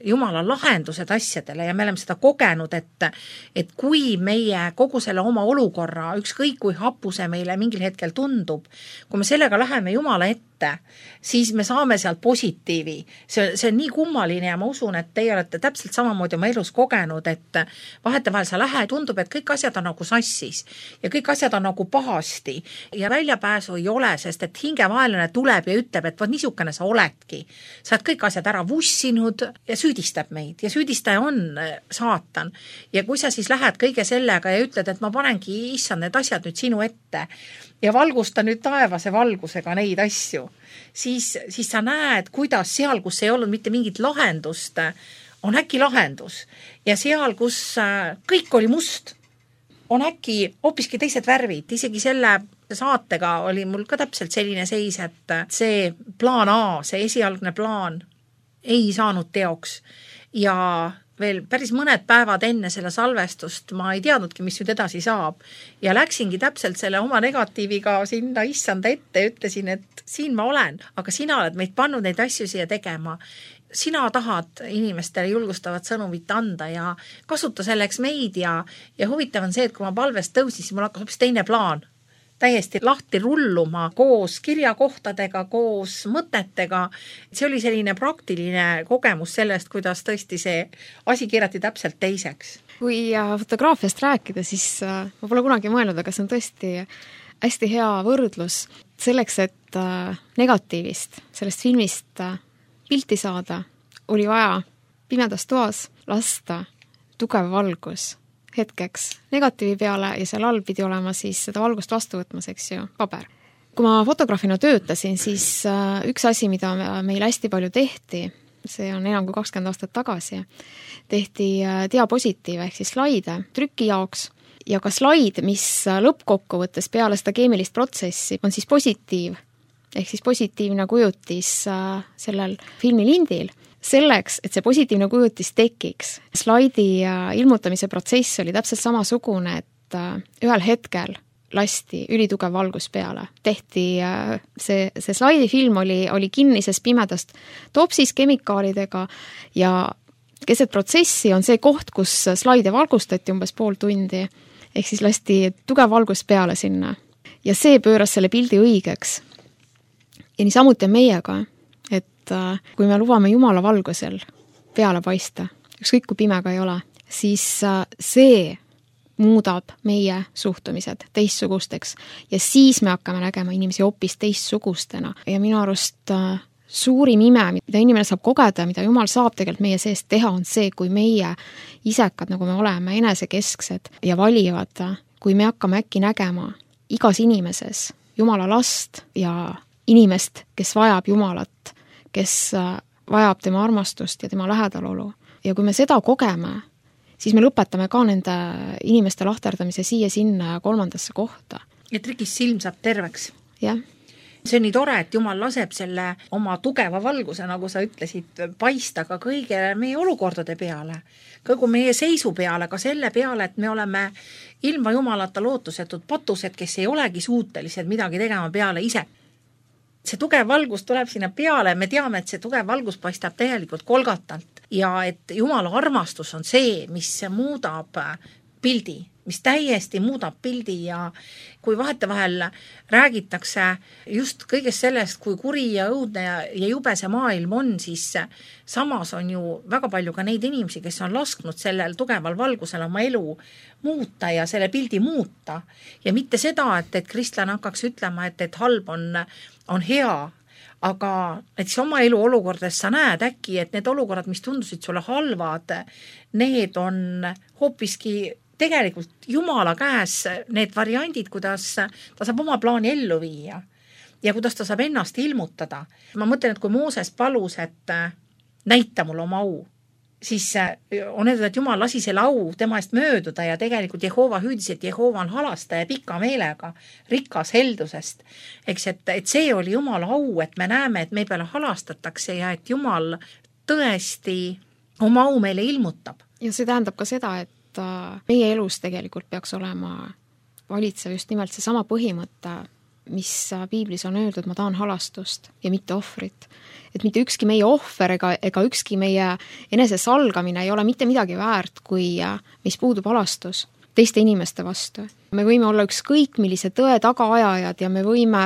Jumala lahendused asjadele ja me oleme seda kogenud, et, et kui meie kogu selle oma olukorra, ükskõik kui hapu see meile mingil hetkel tundub, kui me sellega läheme Jumala ette, siis me saame sealt positiivi. See, see on nii kummaline ja ma usun, et teie olete täpselt samamoodi oma elus kogenud, et vahetevahel sa lähe, tundub, et kõik asjad on nagu sassis ja kõik asjad on nagu pahasti ja väljapääsu ei ole, sest et hingevaelane tuleb ja ütleb, et vaat niisugune sa oledki. Sa oled kõik asjad ära vussinud ja süüdistab meid ja süüdistaja on saatan. Ja kui sa siis lähed kõige sellega ja ütled, et ma panengi issand need asjad nüüd sinu ette ja valgusta nüüd taevase valgusega neid asju, siis, siis sa näed, kuidas seal, kus ei olnud mitte mingit lahendust, on äkki lahendus. Ja seal, kus kõik oli must, on äkki hoopiski teised värvid. Isegi selle saatega oli mul ka täpselt selline seis, et see plaan A, see esialgne plaan ei saanud teoks ja veel päris mõned päevad enne selle salvestust ma ei teadnudki, mis nüüd edasi saab. Ja läksingi täpselt selle oma negatiiviga sinna issanda ette ja ütlesin, et siin ma olen, aga sina oled meid pannud neid asju siia tegema. Sina tahad inimestele julgustavat sõnumit anda ja kasuta selleks meid ja, ja huvitav on see, et kui ma palvest tõusin, siis mul hakkas hoopis teine plaan. Täiesti lahti rulluma koos kirjakohtadega, koos mõtetega. See oli selline praktiline kogemus sellest, kuidas tõesti see asi kirjati täpselt teiseks. Kui fotograafiast rääkida, siis ma pole kunagi mõelnud, aga see on tõesti hästi hea võrdlus selleks, et negatiivist, sellest filmist pilti saada, oli vaja pimedas toas lasta tugev valgus hetkeks negatiivi peale ja seal all pidi olema siis seda valgust vastu võtmas, eks ju, paber. Kui ma fotograafina töötasin, siis üks asi, mida meil hästi palju tehti, see on enam kui kakskümmend aastat tagasi, tehti diapositiive ehk siis slaide trüki jaoks ja ka slaid, mis lõppkokkuvõttes peale seda keemilist protsessi on siis positiiv ehk siis positiivne kujutis sellel filmilindil. Selleks, et see positiivne kujutis tekiks, slaidi ilmutamise protsess oli täpselt samasugune, et ühel hetkel lasti ülitugev valgus peale. Tehti see, see slaidifilm oli, oli kinnises pimedast topsis kemikaalidega ja keset protsessi on see koht, kus slaide valgustati umbes pool tundi, ehk siis lasti tugev valgus peale sinna. Ja see pööras selle pildi õigeks. Ja nii samuti on meiega, et kui me lubame Jumala valgusel peale paista, ükskõik kui pime ka ei ole, siis see muudab meie suhtumised teistsugusteks ja siis me hakkame nägema inimesi hoopis teistsugustena. Ja minu arust suurim ime, mida inimene saab kogeda, mida Jumal saab tegelikult meie seest teha, on see, kui meie isekad, nagu me oleme, enesekesksed ja valivad, kui me hakkame äkki nägema igas inimeses Jumala last ja inimest, kes vajab Jumalat, kes vajab tema armastust ja tema lähedalolu. Ja kui me seda kogeme, siis me lõpetame ka nende inimeste lahterdamise siia-sinna ja kolmandasse kohta. Et rikis silm saab terveks. Jah. See on nii tore, et Jumal laseb selle oma tugeva valguse, nagu sa ütlesid, paista ka kõige meie olukordade peale, kõigu meie seisu peale, ka selle peale, et me oleme ilma Jumalata lootusetud patused, kes ei olegi suutelised midagi tegema peale ise. See tugev valgus tuleb sinna peale, me teame, et see tugev valgus paistab täielikult kolgatalt ja et Jumala armastus on see, mis muudab pildi, mis täiesti muudab pildi ja kui vahetevahel räägitakse just kõigest sellest, kui kuri ja õudne ja jube see maailm on, siis samas on ju väga palju ka neid inimesi, kes on lasknud sellel tugeval valgusel oma elu muuta ja selle pildi muuta. Ja mitte seda, et, et kristlane hakkaks ütlema, et, et halb on, on hea, aga näiteks oma elu olukordades sa näed äkki, et need olukorrad, mis tundusid sulle halvad, need on hoopiski tegelikult Jumala käes need variandid, kuidas ta saab oma plaani ellu viia ja kuidas ta saab ennast ilmutada. Ma mõtlen, et kui Mooses palus, et näita mulle oma au, siis on öeldud, et Jumal lasi selle au tema eest mööduda ja tegelikult Jehova hüüdis, et Jehova on halastaja pika meelega, rikas heldusest. Eks, et, et see oli Jumala au, et me näeme, et me peale halastatakse ja et Jumal tõesti oma au meile ilmutab. Ja see tähendab ka seda, et meie elus tegelikult peaks olema valitsev just nimelt see sama põhimõte, mis piiblis on öeldud, ma tahan halastust ja mitte ohvrit. Et mitte ükski meie ohver ega, ega ükski meie enese salgamine ei ole mitte midagi väärt, kui mis puudub halastus teiste inimeste vastu. Me võime olla ükskõik millise tõe tagaajajad ja me võime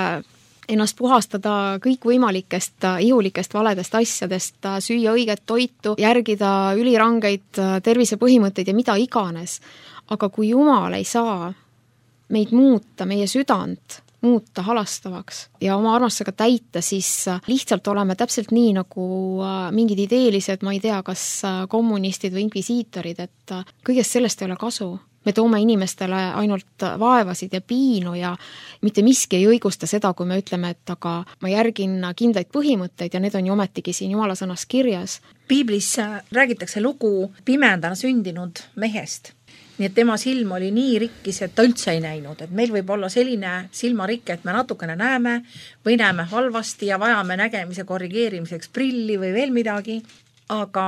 ennast puhastada kõik võimalikest ihulikest valedest asjadest, süüa õiget toitu, järgida ülirangeid tervisepõhimõtteid ja mida iganes. Aga kui Jumal ei saa meid muuta, meie südant muuta halastavaks ja oma armastusega täita, siis lihtsalt oleme täpselt nii nagu mingid ideelised, ma ei tea, kas kommunistid või inkvisiitorid, et kõigest sellest ei ole kasu. Me toome inimestele ainult vaevasid ja piinu ja mitte miski ei õigusta seda, kui me ütleme, et aga ma järgin kindlaid põhimõtteid ja need on ju ometigi siin Jumala sõnas kirjas. Piiblis räägitakse lugu pimedana sündinud mehest. Nii et tema silm oli nii rikkis, et ta üldse ei näinud. Et meil võib olla selline silmarikke, et me natukene näeme või näeme halvasti ja vajame nägemise korrigeerimiseks prilli või veel midagi, aga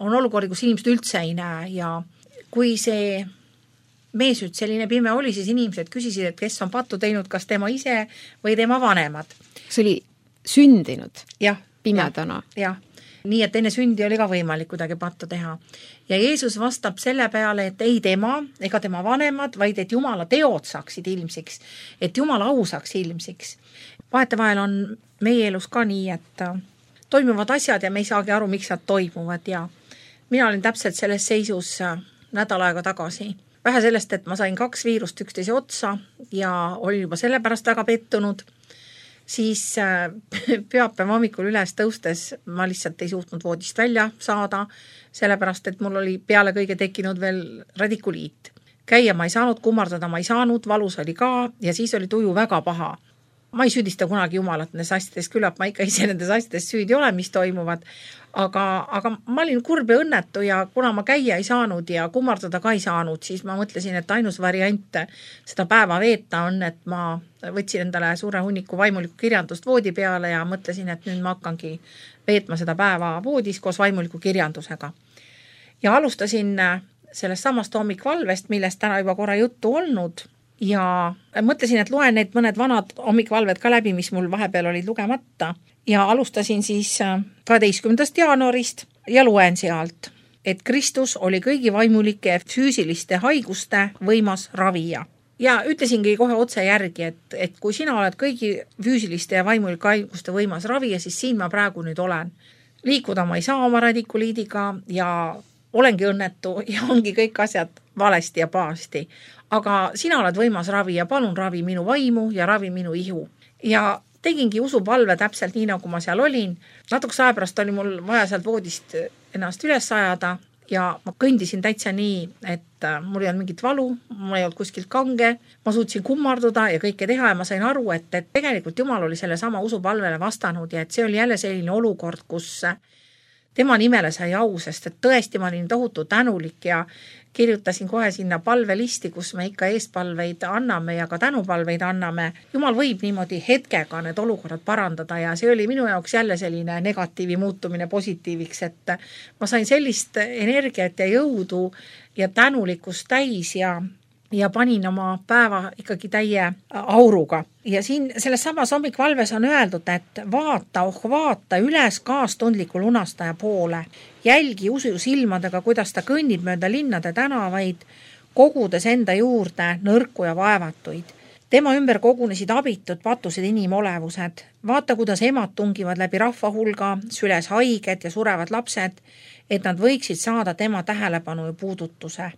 on olukordi, kus inimesed üldse ei näe ja kui see meesüt selline pime oli, siis inimesed küsisid, et kes on pattu teinud, kas tema ise või tema vanemad. See oli sündinud ja, pimedana. Ja, ja. Nii, et enne sündi oli ka võimalik kuidagi pattu teha. Ja Jeesus vastab selle peale, et ei tema ega tema vanemad, vaid et Jumala teod saaksid ilmsiks, et Jumala au saaks ilmsiks. Vahetevahel on meie elus ka nii, et toimuvad asjad ja me ei saagi aru, miks nad toimuvad ja mina olin täpselt selles seisus nädal aega tagasi. Vähe sellest, et ma sain kaks viirust üksteise otsa ja olin juba selle pärast väga pettunud. siis pühapäeva hommikul üles tõustes ma lihtsalt ei suutnud voodist välja saada, sellepärast, et mul oli peale kõige tekkinud veel radikuliit. Käia ma ei saanud, kummardada ma ei saanud, valus oli ka ja siis oli tuju väga paha. Ma ei süüdista kunagi Jumalat nendes asjades, küllap ma ikka ise nendes asjades süüdi ole, mis toimuvad, aga, aga ma olin kurb ja õnnetu ja kuna ma käia ei saanud ja kummardada ka ei saanud, siis ma mõtlesin, et ainus variant seda päeva veeta on, et ma võtsin endale suure hunniku vaimuliku kirjandust voodi peale ja mõtlesin, et nüüd ma hakkangi veetma seda päeva voodis koos vaimuliku kirjandusega. Ja alustasin sellest samast hommikvalvest, millest täna juba korra juttu olnud, ja mõtlesin, et loen need mõned vanad hommikvalved ka läbi, mis mul vahepeal olid lugemata ja alustasin siis kaheteistkümnendast jaanuarist ja loen sealt, et Kristus oli kõigi vaimulike füüsiliste haiguste võimas ravija. Ja ütlesingi kohe otse järgi, et, et kui sina oled kõigi füüsiliste ja vaimulike haiguste võimas ravija, siis siin ma praegu nüüd olen. Liikuda ma ei saa oma radikuliidiga ja olengi õnnetu ja ongi kõik asjad valesti ja paasti. Aga sina oled võimas ravi ja palun ravi minu vaimu ja ravi minu ihu. Ja tegingi usupalve täpselt nii, nagu ma seal olin. Natukese aja pärast oli mul vaja sealt voodist ennast üles ajada ja ma kõndisin täitsa nii, et mul ei olnud mingit valu, mul ei olnud kuskilt kange, ma suutsin kummarduda ja kõike teha ja ma sain aru, et, et tegelikult Jumal oli selle sama usupalvele vastanud ja et see oli jälle selline olukord, kus tema nimele sai au, sest et tõesti ma olin tohutu tänulik ja kirjutasin kohe sinna palvelisti, kus me ikka eespalveid anname ja ka tänupalveid anname. Jumal võib niimoodi hetkega need olukorrad parandada ja see oli minu jaoks jälle selline negatiivi muutumine positiiviks, et ma sain sellist energiat ja jõudu ja tänulikkust täis ja ja panin oma päeva ikkagi täie auruga. Ja siin selles samas hommikvalves on öeldud, et vaata, oh vaata üles kaastundliku lunastaja poole. Jälgi usu silmadega, kuidas ta kõnnib mööda linnade tänavaid, kogudes enda juurde nõrku ja vaevatuid. Tema ümber kogunesid abitud patused inimolevused. Vaata, kuidas emad tungivad läbi rahva hulga, süles haiged ja surevad lapsed, et nad võiksid saada tema tähelepanu ja puudutuse.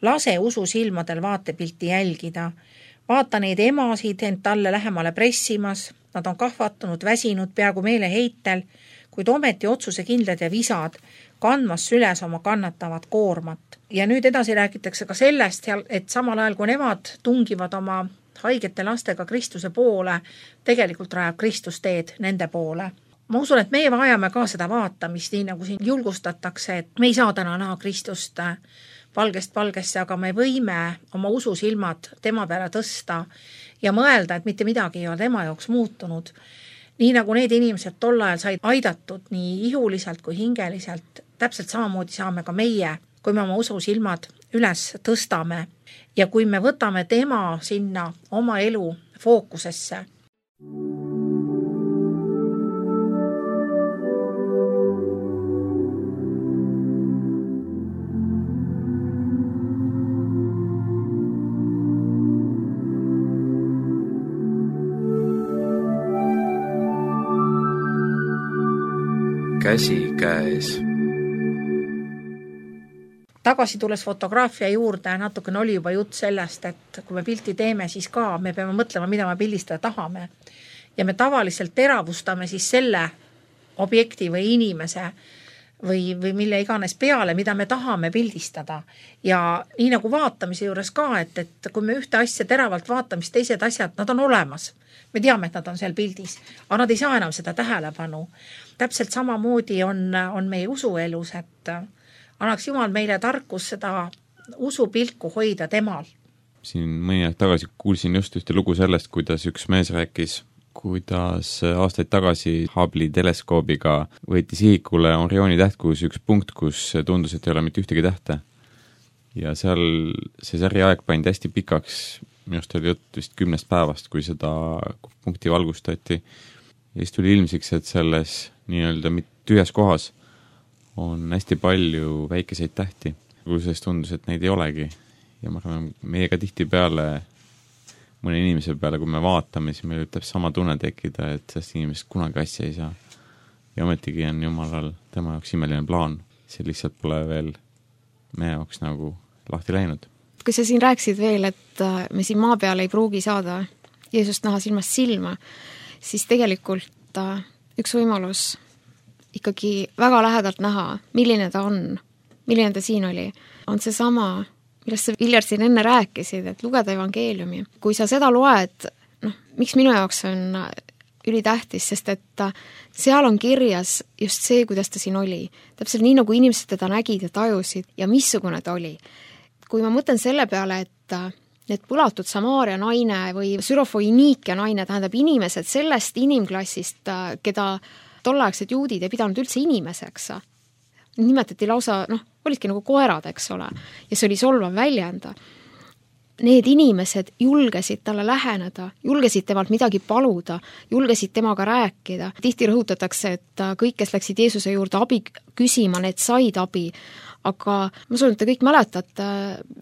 Lase usu silmadel vaatepilti jälgida. Vaata neid emasid end talle lähemale pressimas. Nad on kahvatunud, väsinud, peaaegu meele heitel, kuid ometi otsuse kindlad ja visad, kandmas süles oma kannatavat koormat. Ja nüüd edasi räägitakse ka sellest, et samal ajal, kui nemad tungivad oma haigete lastega Kristuse poole, tegelikult rajab Kristus teed nende poole. Ma usun, et meie vajame ka seda vaatamist, nii nagu siin julgustatakse, et me ei saa täna näha Kristust palgest palgesse, aga me võime oma ususilmad tema peale tõsta ja mõelda, et mitte midagi ei ole tema jaoks muutunud. Nii nagu need inimesed tol ajal said aidatud nii ihuliselt kui hingeliselt, täpselt samamoodi saame ka meie, kui me oma ususilmad üles tõstame ja kui me võtame tema sinna oma elu fookusesse. Käsi käes. Tagasi tulles fotograafia juurde, natukene oli juba jutt sellest, et kui me pilti teeme, siis ka me peame mõtlema, mida me pildistada tahame. Ja me tavaliselt teravustame siis selle objekti või inimese või, või mille iganes peale, mida me tahame pildistada. Ja nii nagu vaatamise juures ka, et, et kui me ühte asja teravalt vaatame, siis teised asjad, nad on olemas. Me teame, et nad on seal pildis, aga nad ei saa enam seda tähelepanu. Täpselt samamoodi on, on meie usuelus, et annaks Jumal meile tarkus seda usupilku hoida temal. Siin mõni aeg tagasi kuulsin just ühte lugu sellest, kuidas üks mees rääkis, kuidas aastaid tagasi Hubble'i teleskoobiga võeti sihikule Orioni tähtkuus üks punkt, kus tundus, et ei ole mitte ühtegi tähte. Ja seal see sari aeg pandi hästi pikaks, minust oli jutt vist kümnest päevast, kui seda punkti valgustati. Ja siis tuli ilmsiks, et selles nii-öelda tühjas kohas on hästi palju väikeseid tähti, kui sellest tundus, et neid ei olegi. Ja ma arvan, meiega tihti peale, mõne inimese peale, kui me vaatame, siis meil ütleb sama tunne tekkida, et sellest inimesest kunagi asja ei saa. Ja ometigi on Jumalal tema jaoks imeline plaan. See lihtsalt pole veel meie jaoks nagu lahti läinud. Kui sa siin rääksid veel, et me siin maa peal ei pruugi saada Jeesust näha silmast silma, siis tegelikult üks võimalus ikkagi väga lähedalt näha, milline ta on, milline ta siin oli, on see sama, millest sa, Viljar, siin enne rääkisid, et lugeda evangeeliumi. Kui sa seda loed, noh, miks minu jaoks on ülitähtis, sest et seal on kirjas just see, kuidas ta siin oli. Täpselt nii, nagu inimesed teda nägid ja tajusid ja missugune ta oli. Kui ma mõtlen selle peale, et need põlatud Samaaria naine või Sürofoiniikia naine, tähendab inimesed sellest inimklassist, keda tolleaegsed juudid ei pidanud üldse inimeseks. Nimetati lausa, noh, olidki nagu koerad, eks ole, ja see oli solvav väljenda. Need inimesed julgesid talle läheneda, julgesid temalt midagi paluda, julgesid temaga rääkida. Tihti rõhutatakse, et kõik, kes läksid Jeesuse juurde abi küsima, need said abi. Aga ma soovin, et te kõik mäletate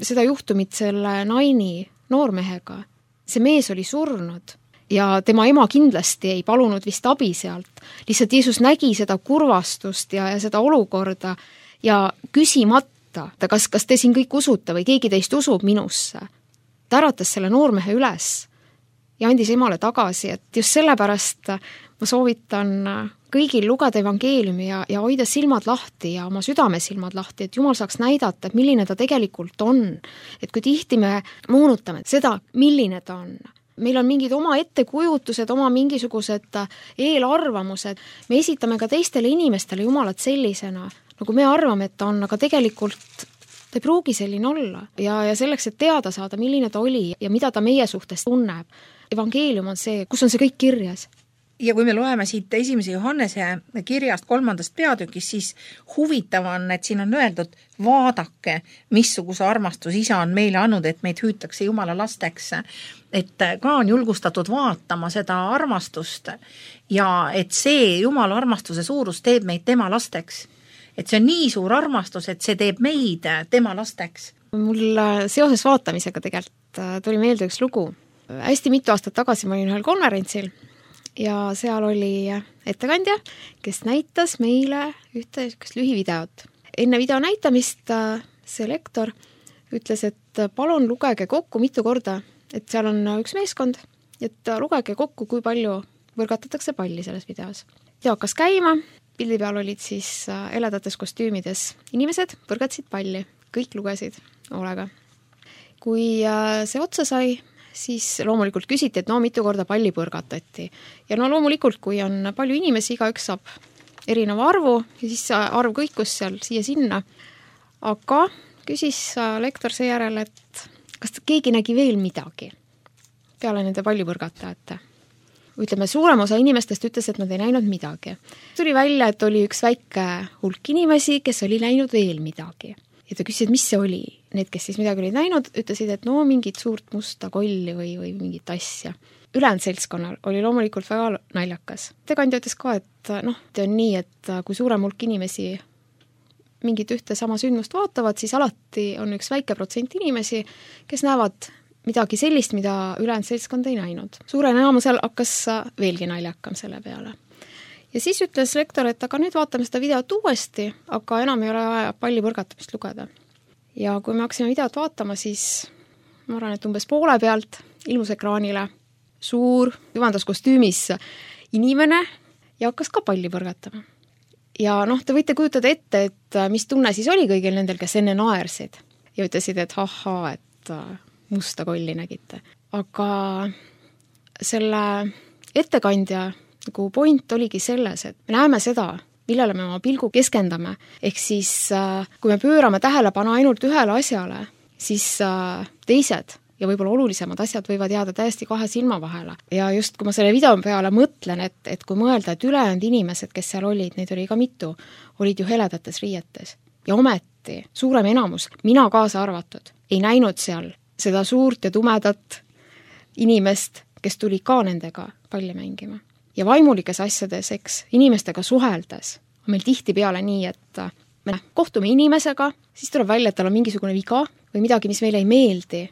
seda juhtumit selle naini noormehega. See mees oli surnud ja tema ema kindlasti ei palunud vist abi sealt. Lihtsalt Jeesus nägi seda kurvastust ja, ja seda olukorda ja küsimata, kas, kas te siin kõik usute või keegi teist usub minusse. Ta äratas selle noormehe üles ja andis emale tagasi, et just sellepärast ma soovitan kõigil lugeda evangeeliumi ja, ja hoida silmad lahti ja oma südame silmad lahti, et Jumal saaks näidata, et milline ta tegelikult on. Et kui tihti me moonutame seda, milline ta on. Meil on mingid oma ettekujutused, oma mingisugused eelarvamused. Me esitame ka teistele inimestele Jumalat sellisena, nagu me arvame, et ta on, aga tegelikult ta ei pruugi selline olla ja, ja selleks, et teada saada, milline ta oli ja mida ta meie suhtes tunneb. Evangeelium on see, kus on see kõik kirjas. Ja kui me loeme siit esimese Johannese kirjast kolmandast peatükist, siis huvitav on, et siin on öeldud, vaadake, missuguse armastus isa on meile andnud, et meid hüütakse Jumala lasteks. Et ka on julgustatud vaatama seda armastust ja et see Jumala armastuse suurus teeb meid tema lasteks. Et see on nii suur armastus, et see teeb meid tema lasteks. Mul seoses vaatamisega tegelikult tuli meelde üks lugu. Hästi mitu aastat tagasi ma olin ühel konverentsil ja seal oli ettekandja, kes näitas meile ühte lühivideot. Enne video näitamist see lektor ütles, et palun lugege kokku mitu korda, et seal on üks meeskond, et lugege kokku, kui palju võrgatatakse palli selles videos. Ja hakkas käima. Pildi peal olid siis heledates kostüümides inimesed, põrgatsid palli, kõik lugesid hoolega. Kui see otsa sai, siis loomulikult küsiti, et no mitu korda palli põrgatati. Ja no loomulikult, kui on palju inimesi, igaüks saab erineva arvu ja siis arv kõikus seal siia-sinna. Aga küsis lektor seejärel, et kas keegi nägi veel midagi peale nende pallipõrgatajate. Ütleme, suurem osa inimestest ütles, et nad ei näinud midagi. Tuli välja, et oli üks väike hulk inimesi, kes oli näinud veel midagi. Ja ta küsis, et mis see oli. Need, kes siis midagi olid näinud, ütlesid, et no mingit suurt musta kolli või, või mingit asja. Ülejäänud seltskonnal oli loomulikult väga naljakas. Tekandja ütles ka, et noh, see on nii, et kui suurem hulk inimesi mingit ühte sama sündmust vaatavad, siis alati on üks väike protsent inimesi, kes näevad midagi sellist, mida ülejäänud seltskond ei näinud. Suure enamusel hakkas veelgi naljakam selle peale. Ja siis ütles lektor, et aga nüüd vaatame seda videot uuesti, aga enam ei ole vaja palli põrgatamist lugeda. Ja kui me hakkasime videot vaatama, siis ma arvan, et umbes poole pealt ilmus ekraanile suur jumandas kostüümis inimene ja hakkas ka palli põrgatama. Ja noh, te võite kujutada ette, et mis tunne siis oli kõigil nendel, kes enne naersid ja ütlesid, et haha, et musta kolli nägite. Aga selle ettekandja nagu point oligi selles, et me näeme seda, millele me oma pilgu keskendame. Ehk siis, kui me pöörame tähelepanu ainult ühele asjale, siis teised ja võib-olla olulisemad asjad võivad jääda täiesti kahe silma vahele. Ja just kui ma selle video peale mõtlen, et, et kui mõelda, et ülejäänud inimesed, kes seal olid, neid oli ka mitu, olid ju heledates riietes. Ja ometi suurem enamus, mina kaasa arvatud, ei näinud seal seda suurt ja tumedat inimest, kes tuli ka nendega palli mängima. Ja vaimulikes asjades, eks, inimestega suheldes on meil tihti peale nii, et me kohtume inimesega, siis tuleb välja, et tal on mingisugune viga või midagi, mis meile ei meeldi.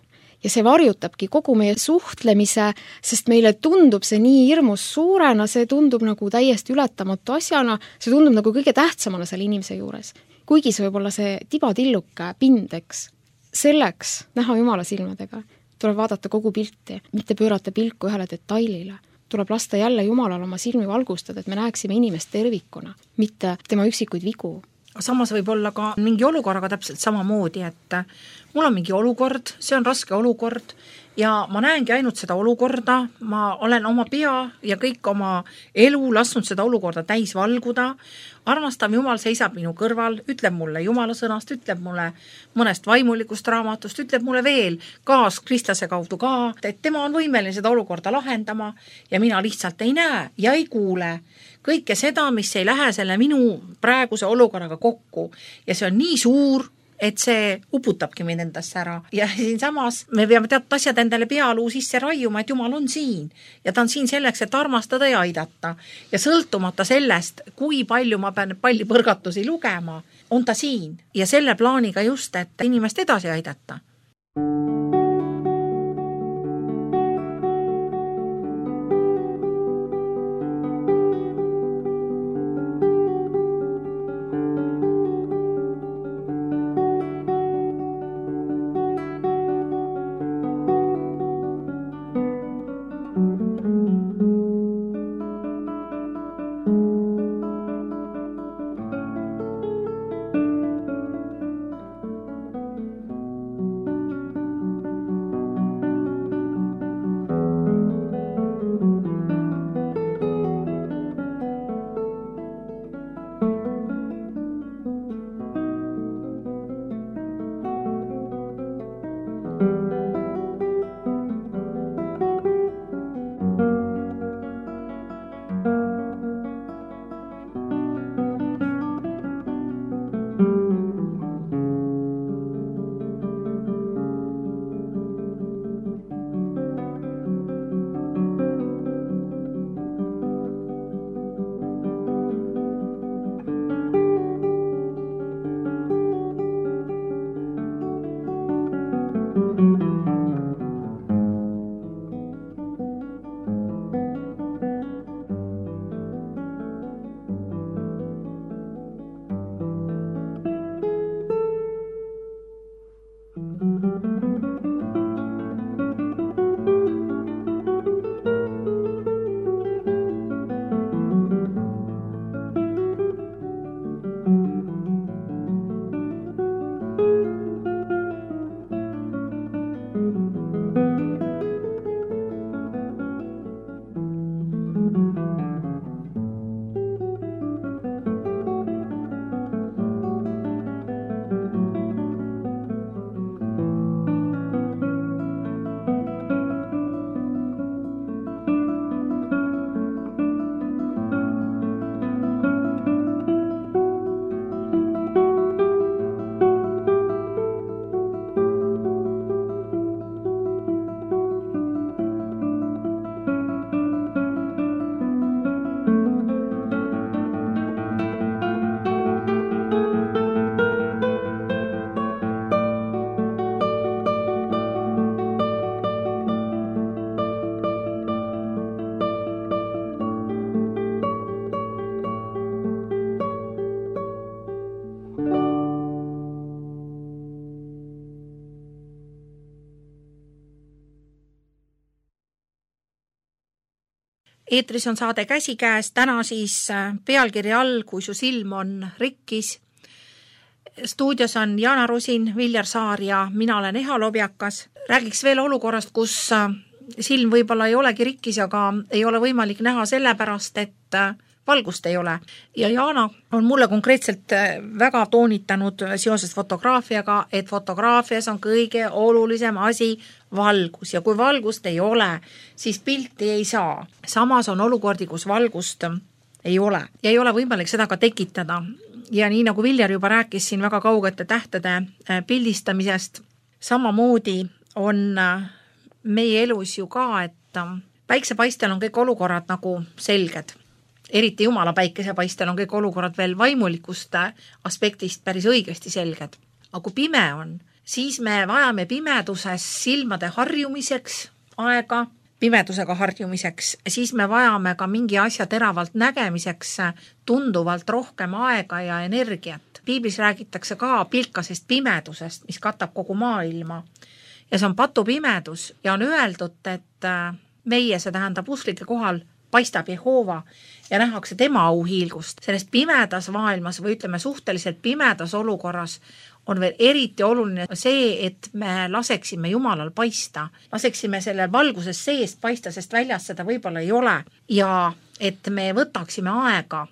Ja see varjutabki kogu meie suhtlemise, sest meile tundub see nii hirmus suurena, see tundub nagu täiesti ületamatu asjana, see tundub nagu kõige tähtsamana selle inimese juures. Kuigi see võib olla see tibatilluke pindeks. Selleks näha Jumala silmadega tuleb vaadata kogu pilti, mitte pöörata pilku ühele detailile. tuleb lasta jälle Jumalal oma silmi valgustada, et me näeksime inimest tervikuna, mitte tema üksikuid vigu. Samas võib olla ka mingi olukorraga täpselt samamoodi, et mul on mingi olukord, see on raske olukord ja ma näengi ainult seda olukorda, ma olen oma pea ja kõik oma elu lasknud seda olukorda täis valguda, armastav Jumal seisab minu kõrval, ütleb mulle Jumala sõnast, ütleb mulle mõnest vaimulikust raamatust, ütleb mulle veel kaas kristlase kaudu ka, et tema on võimeline seda olukorda lahendama ja mina lihtsalt ei näe ja ei kuule kõike seda, mis ei lähe selle minu praeguse olukorraga kokku ja see on nii suur, et see uputabki mind endasse ära ja siin samas me peame teatud asjad endale pealuu sisse raiuma, et Jumal on siin ja ta on siin selleks, et armastada ja aidata ja sõltumata sellest, kui palju ma pean pallipõrgatusi lugema, on ta siin ja selle plaaniga just, et inimest edasi aidata. Eetris on saade Käsikäes, täna siis pealkirja all, kui su silm on rikkis. Stuudios on Jana Rusin, Viljar Saar ja mina olen Eha Lobjakas. Räägiks veel olukorrast, kus silm võib-olla ei olegi rikkis, aga ei ole võimalik näha sellepärast, et valgust ei ole. Ja Jana on mulle konkreetselt väga toonitanud seoses fotograafiaga, et fotograafias on kõige olulisem asi valgus ja kui valgust ei ole, siis pilti ei saa. Samas on olukordi, kus valgust ei ole ja ei ole võimalik seda ka tekitada. Ja nii nagu Viljar juba rääkis siin väga kaugete tähtede pildistamisest, samamoodi on meie elus ju ka, et päiksepaistel on kõik olukorrad nagu selged. Eriti Jumala päikesepaistel on kõik olukorrad veel vaimulikust aspektist päris õigesti selged. Aga kui pime on, siis me vajame pimeduses silmade harjumiseks aega, pimedusega harjumiseks, siis me vajame ka mingi asja teravalt nägemiseks tunduvalt rohkem aega ja energiat. Piiblis räägitakse ka pilkasest pimedusest, mis katab kogu maailma. Ja see on patupimedus ja on öeldud, et meie, see tähendab usklike kohal, paistab Jehoova ja nähakse tema auhiilgust. Sellest pimedas maailmas või ütleme suhteliselt pimedas olukorras on veel eriti oluline see, et me laseksime Jumalal paista. Laseksime selle valguses seest paista, sest väljas seda võib-olla ei ole. Ja et me võtaksime aega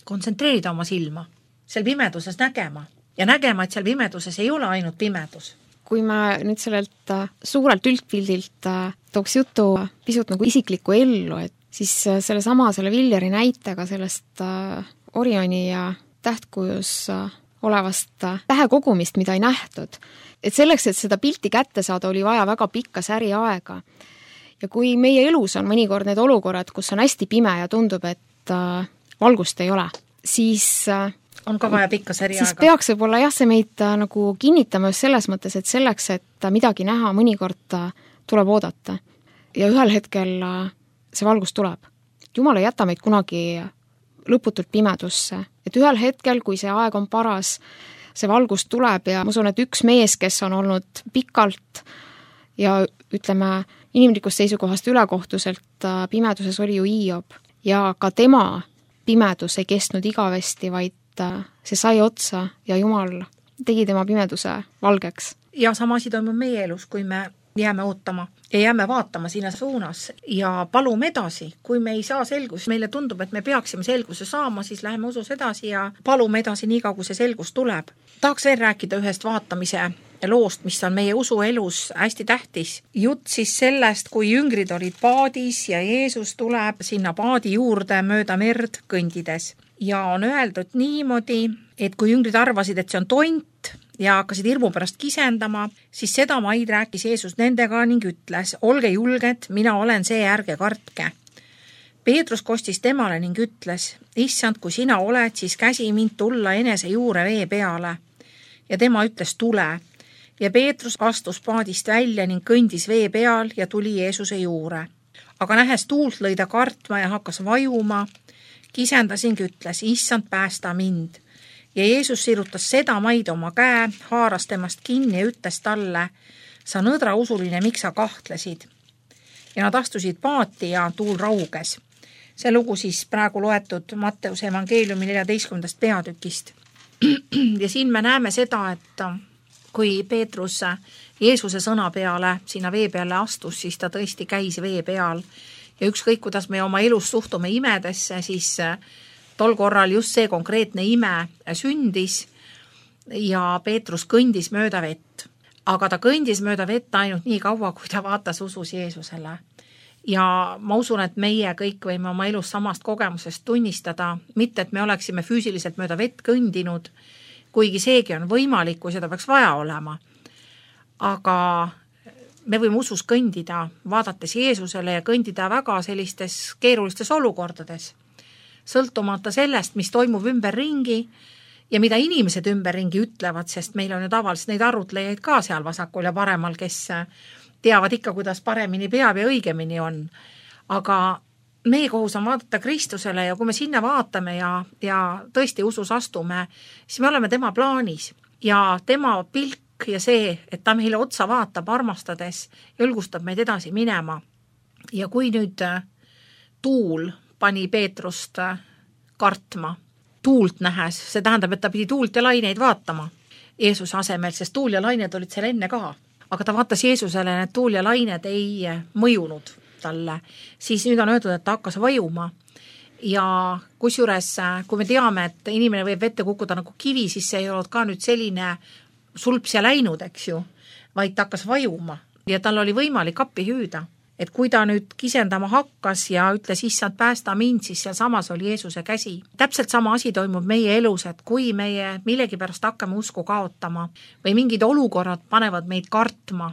kontsentreerida oma silma, seal pimeduses nägema ja nägema, et seal pimeduses ei ole ainult pimedus. Kui me nüüd sellelt suurelt üldpildilt tooks jutu pisut nagu isiklikku ellu, et siis selle sama, selle Villeri näitega sellest Orioni ja tähtkujus olevast tähekogumist, mida ei nähtud. Et selleks, et seda pilti kätte saada, oli vaja väga pikka säri aega. Ja kui meie elus on mõnikord need olukorrad, kus on hästi pime ja tundub, et valgust ei ole, siis on ka vaja pikka säri siis aega. Peaks võib-olla jah, see meid nagu kinnitama just selles mõttes, et selleks, et midagi näha, mõnikord tuleb oodata. Ja ühel hetkel see valgus tuleb. Jumal ei jäta meid kunagi lõputult pimedusse. Et ühel hetkel, kui see aeg on paras, see valgus tuleb ja ma usun, et üks mees, kes on olnud pikalt ja ütleme inimlikust seisukohast ülekohtuselt pimeduses oli ju Hiob. Ja ka tema pimedus ei kestnud igavesti, vaid see sai otsa ja Jumal tegi tema pimeduse valgeks. Ja sama asi toimub meie elus, kui me jääme ootama ja jääme vaatama sinna suunas ja palume edasi. Kui me ei saa selgus, meile tundub, et me peaksime selguse saama, siis läheme usus edasi ja palume edasi nii kaua, kui see selgus tuleb. Tahaks veel rääkida ühest vaatamise loost, mis on meie usuelus hästi tähtis. Jutt siis sellest, kui jüngrid olid paadis ja Jeesus tuleb sinna paadi juurde mööda merd kõndides. Ja on öeldud niimoodi, et kui jüngrid arvasid, et see on tont ja hakkasid hirmu pärast kisendama, siis seda maid rääkis Jeesus nendega ning ütles, olge julged, mina olen see, ärge kartke. Peetrus kostis temale ning ütles, issand, kui sina oled, siis käsi mind tulla enese juure vee peale. Ja tema ütles, tule. Ja Peetrus astus paadist välja ning kõndis vee peal ja tuli Jeesuse juure. Aga nähes tuult lõi ta kartma ja hakkas vajuma, kisendasing ütles, issand, päästa mind. Ja Jeesus sirutas seda maid oma käe, haaras temast kinni ja ütles talle, sa nõdra usuline, miks sa kahtlesid? Ja nad astusid paati ja tuul rauges. See lugu siis praegu loetud Matteuse evangeeliumi neljateistkümnendast peatükist. Ja siin me näeme seda, et kui Peetrus Jeesuse sõna peale sinna vee peale astus, siis ta tõesti käis vee peal. Ja ükskõik, kuidas me oma elus suhtume imedesse, siis tol korral just see konkreetne ime sündis ja Peetrus kõndis mööda vett. Aga ta kõndis mööda vett ainult nii kaua, kui ta vaatas usus Jeesusele. Ja ma usun, et meie kõik võime oma elus samast kogemusest tunnistada, mitte et me oleksime füüsiliselt mööda vett kõndinud, kuigi seegi on võimalik, kui seda peaks vaja olema. Aga me võime usus kõndida, vaadates Jeesusele ja kõndida väga sellistes keerulistes olukordades. Sõltumata sellest, mis toimub ümberringi ja mida inimesed ümberringi ütlevad, sest meil on ju tavaliselt neid arutlejaid ka seal vasakul ja paremal, kes teavad ikka, kuidas paremini peab ja õigemini on. Aga meie kohus on vaadata Kristusele ja kui me sinna vaatame ja, ja tõesti usus astume, siis me oleme tema plaanis ja tema pilk ja see, et ta meile otsa vaatab armastades, julgustab meid edasi minema. Ja kui nüüd tuul pani Peetrust kartma, tuult nähes, see tähendab, et ta pidi tuult ja laineid vaatama Jeesuse asemel, sest tuul ja lained olid seal enne ka. Aga ta vaatas Jeesusele, need tuul ja lained ei mõjunud talle. Siis nüüd on öeldud, et ta hakkas vajuma. Ja kusjuures, kui me teame, et inimene võib vette kukkuda nagu kivi, siis see ei olnud ka nüüd selline sulps ja läinud, eks ju, vaid ta hakkas vajuma ja tal oli võimalik appi hüüda. Et kui ta nüüd kisendama hakkas ja ütles, issand, päästa mind, siis seal samas oli Jeesuse käsi. Täpselt sama asi toimub meie elus, et kui meie millegi pärast hakkame usku kaotama või mingid olukorrad panevad meid kartma,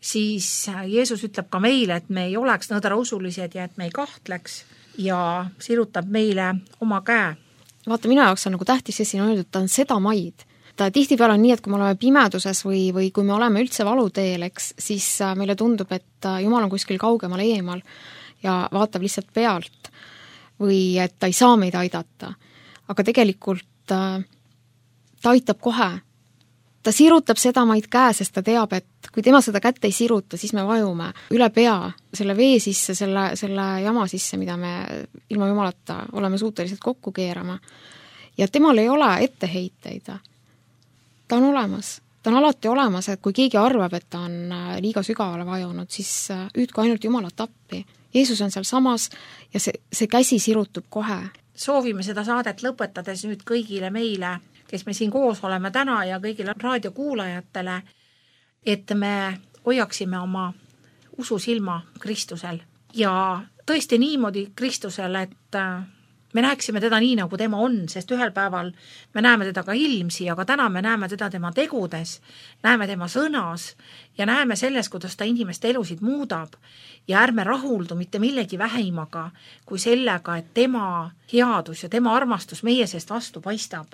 siis Jeesus ütleb ka meile, et me ei oleks nõdra usulised ja et me ei kahtleks ja sirutab meile oma käe. Vaata, minu jaoks on nagu tähtis, et siin on öeldud, ta on seda maid. Ta tihtipeale on nii, et kui me oleme pimeduses või, või kui me oleme üldse valuteel, eks, siis meile tundub, et Jumal on kuskil kaugemal eemal ja vaatab lihtsalt pealt või et ta ei saa meid aidata. Aga tegelikult ta aitab kohe. ta sirutab sedamaid käe, sest ta teab, et kui tema seda kätt ei siruta, siis me vajume üle pea selle vee sisse, selle, selle jama sisse, mida me ilma jumalata oleme suutelised kokku keerama. Ja temal ei ole etteheiteid. Ta on olemas. Ta on alati olemas, et kui keegi arvab, et ta on liiga sügavale vajunud, siis hüüdku ainult Jumalat appi. Jeesus on seal samas ja see, see käsi sirutub kohe. Soovime seda saadet lõpetades nüüd kõigile meile, kes me siin koos oleme täna ja kõigile raadiokuulajatele, et me hoiaksime oma ususilma Kristusel ja tõesti niimoodi Kristusel, et me näeksime teda nii, nagu tema on, sest ühel päeval me näeme teda ka ilmsi, aga täna me näeme teda tema tegudes, näeme tema sõnas ja näeme selles, kuidas ta inimeste elusid muudab ja ärme rahuldu mitte millegi vähimaga kui sellega, et tema headus ja tema armastus meie seest vastu paistab.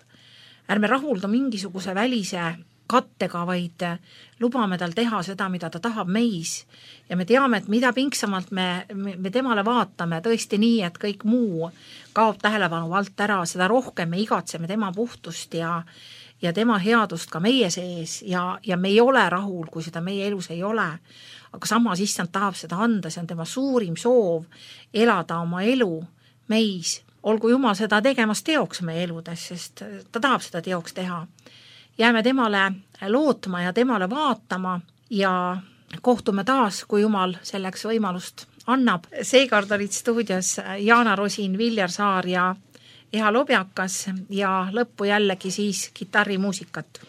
Ärme rahuldu mingisuguse välise kattega, vaid lubame tal teha seda, mida ta tahab meis. Ja me teame, et mida pingsamalt me, me, me temale vaatame, tõesti nii, et kõik muu kaob tähelepanu alt ära, seda rohkem me igatseme tema puhtust ja, ja tema headust ka meie sees ja, ja me ei ole rahul, kui seda meie elus ei ole. Aga samas issand tahab seda anda, see on tema suurim soov elada oma elu meis. Olgu Jumal seda tegemas teoks meie eludes, sest ta tahab seda teoks teha. Jääme temale lootma ja temale vaatama ja kohtume taas, kui Jumal selleks võimalust annab. Seekord olid stuudios Jaana Rosin, Viljar Saar ja Eha Lobjakas ja lõppu jällegi siis kitarrimuusikat.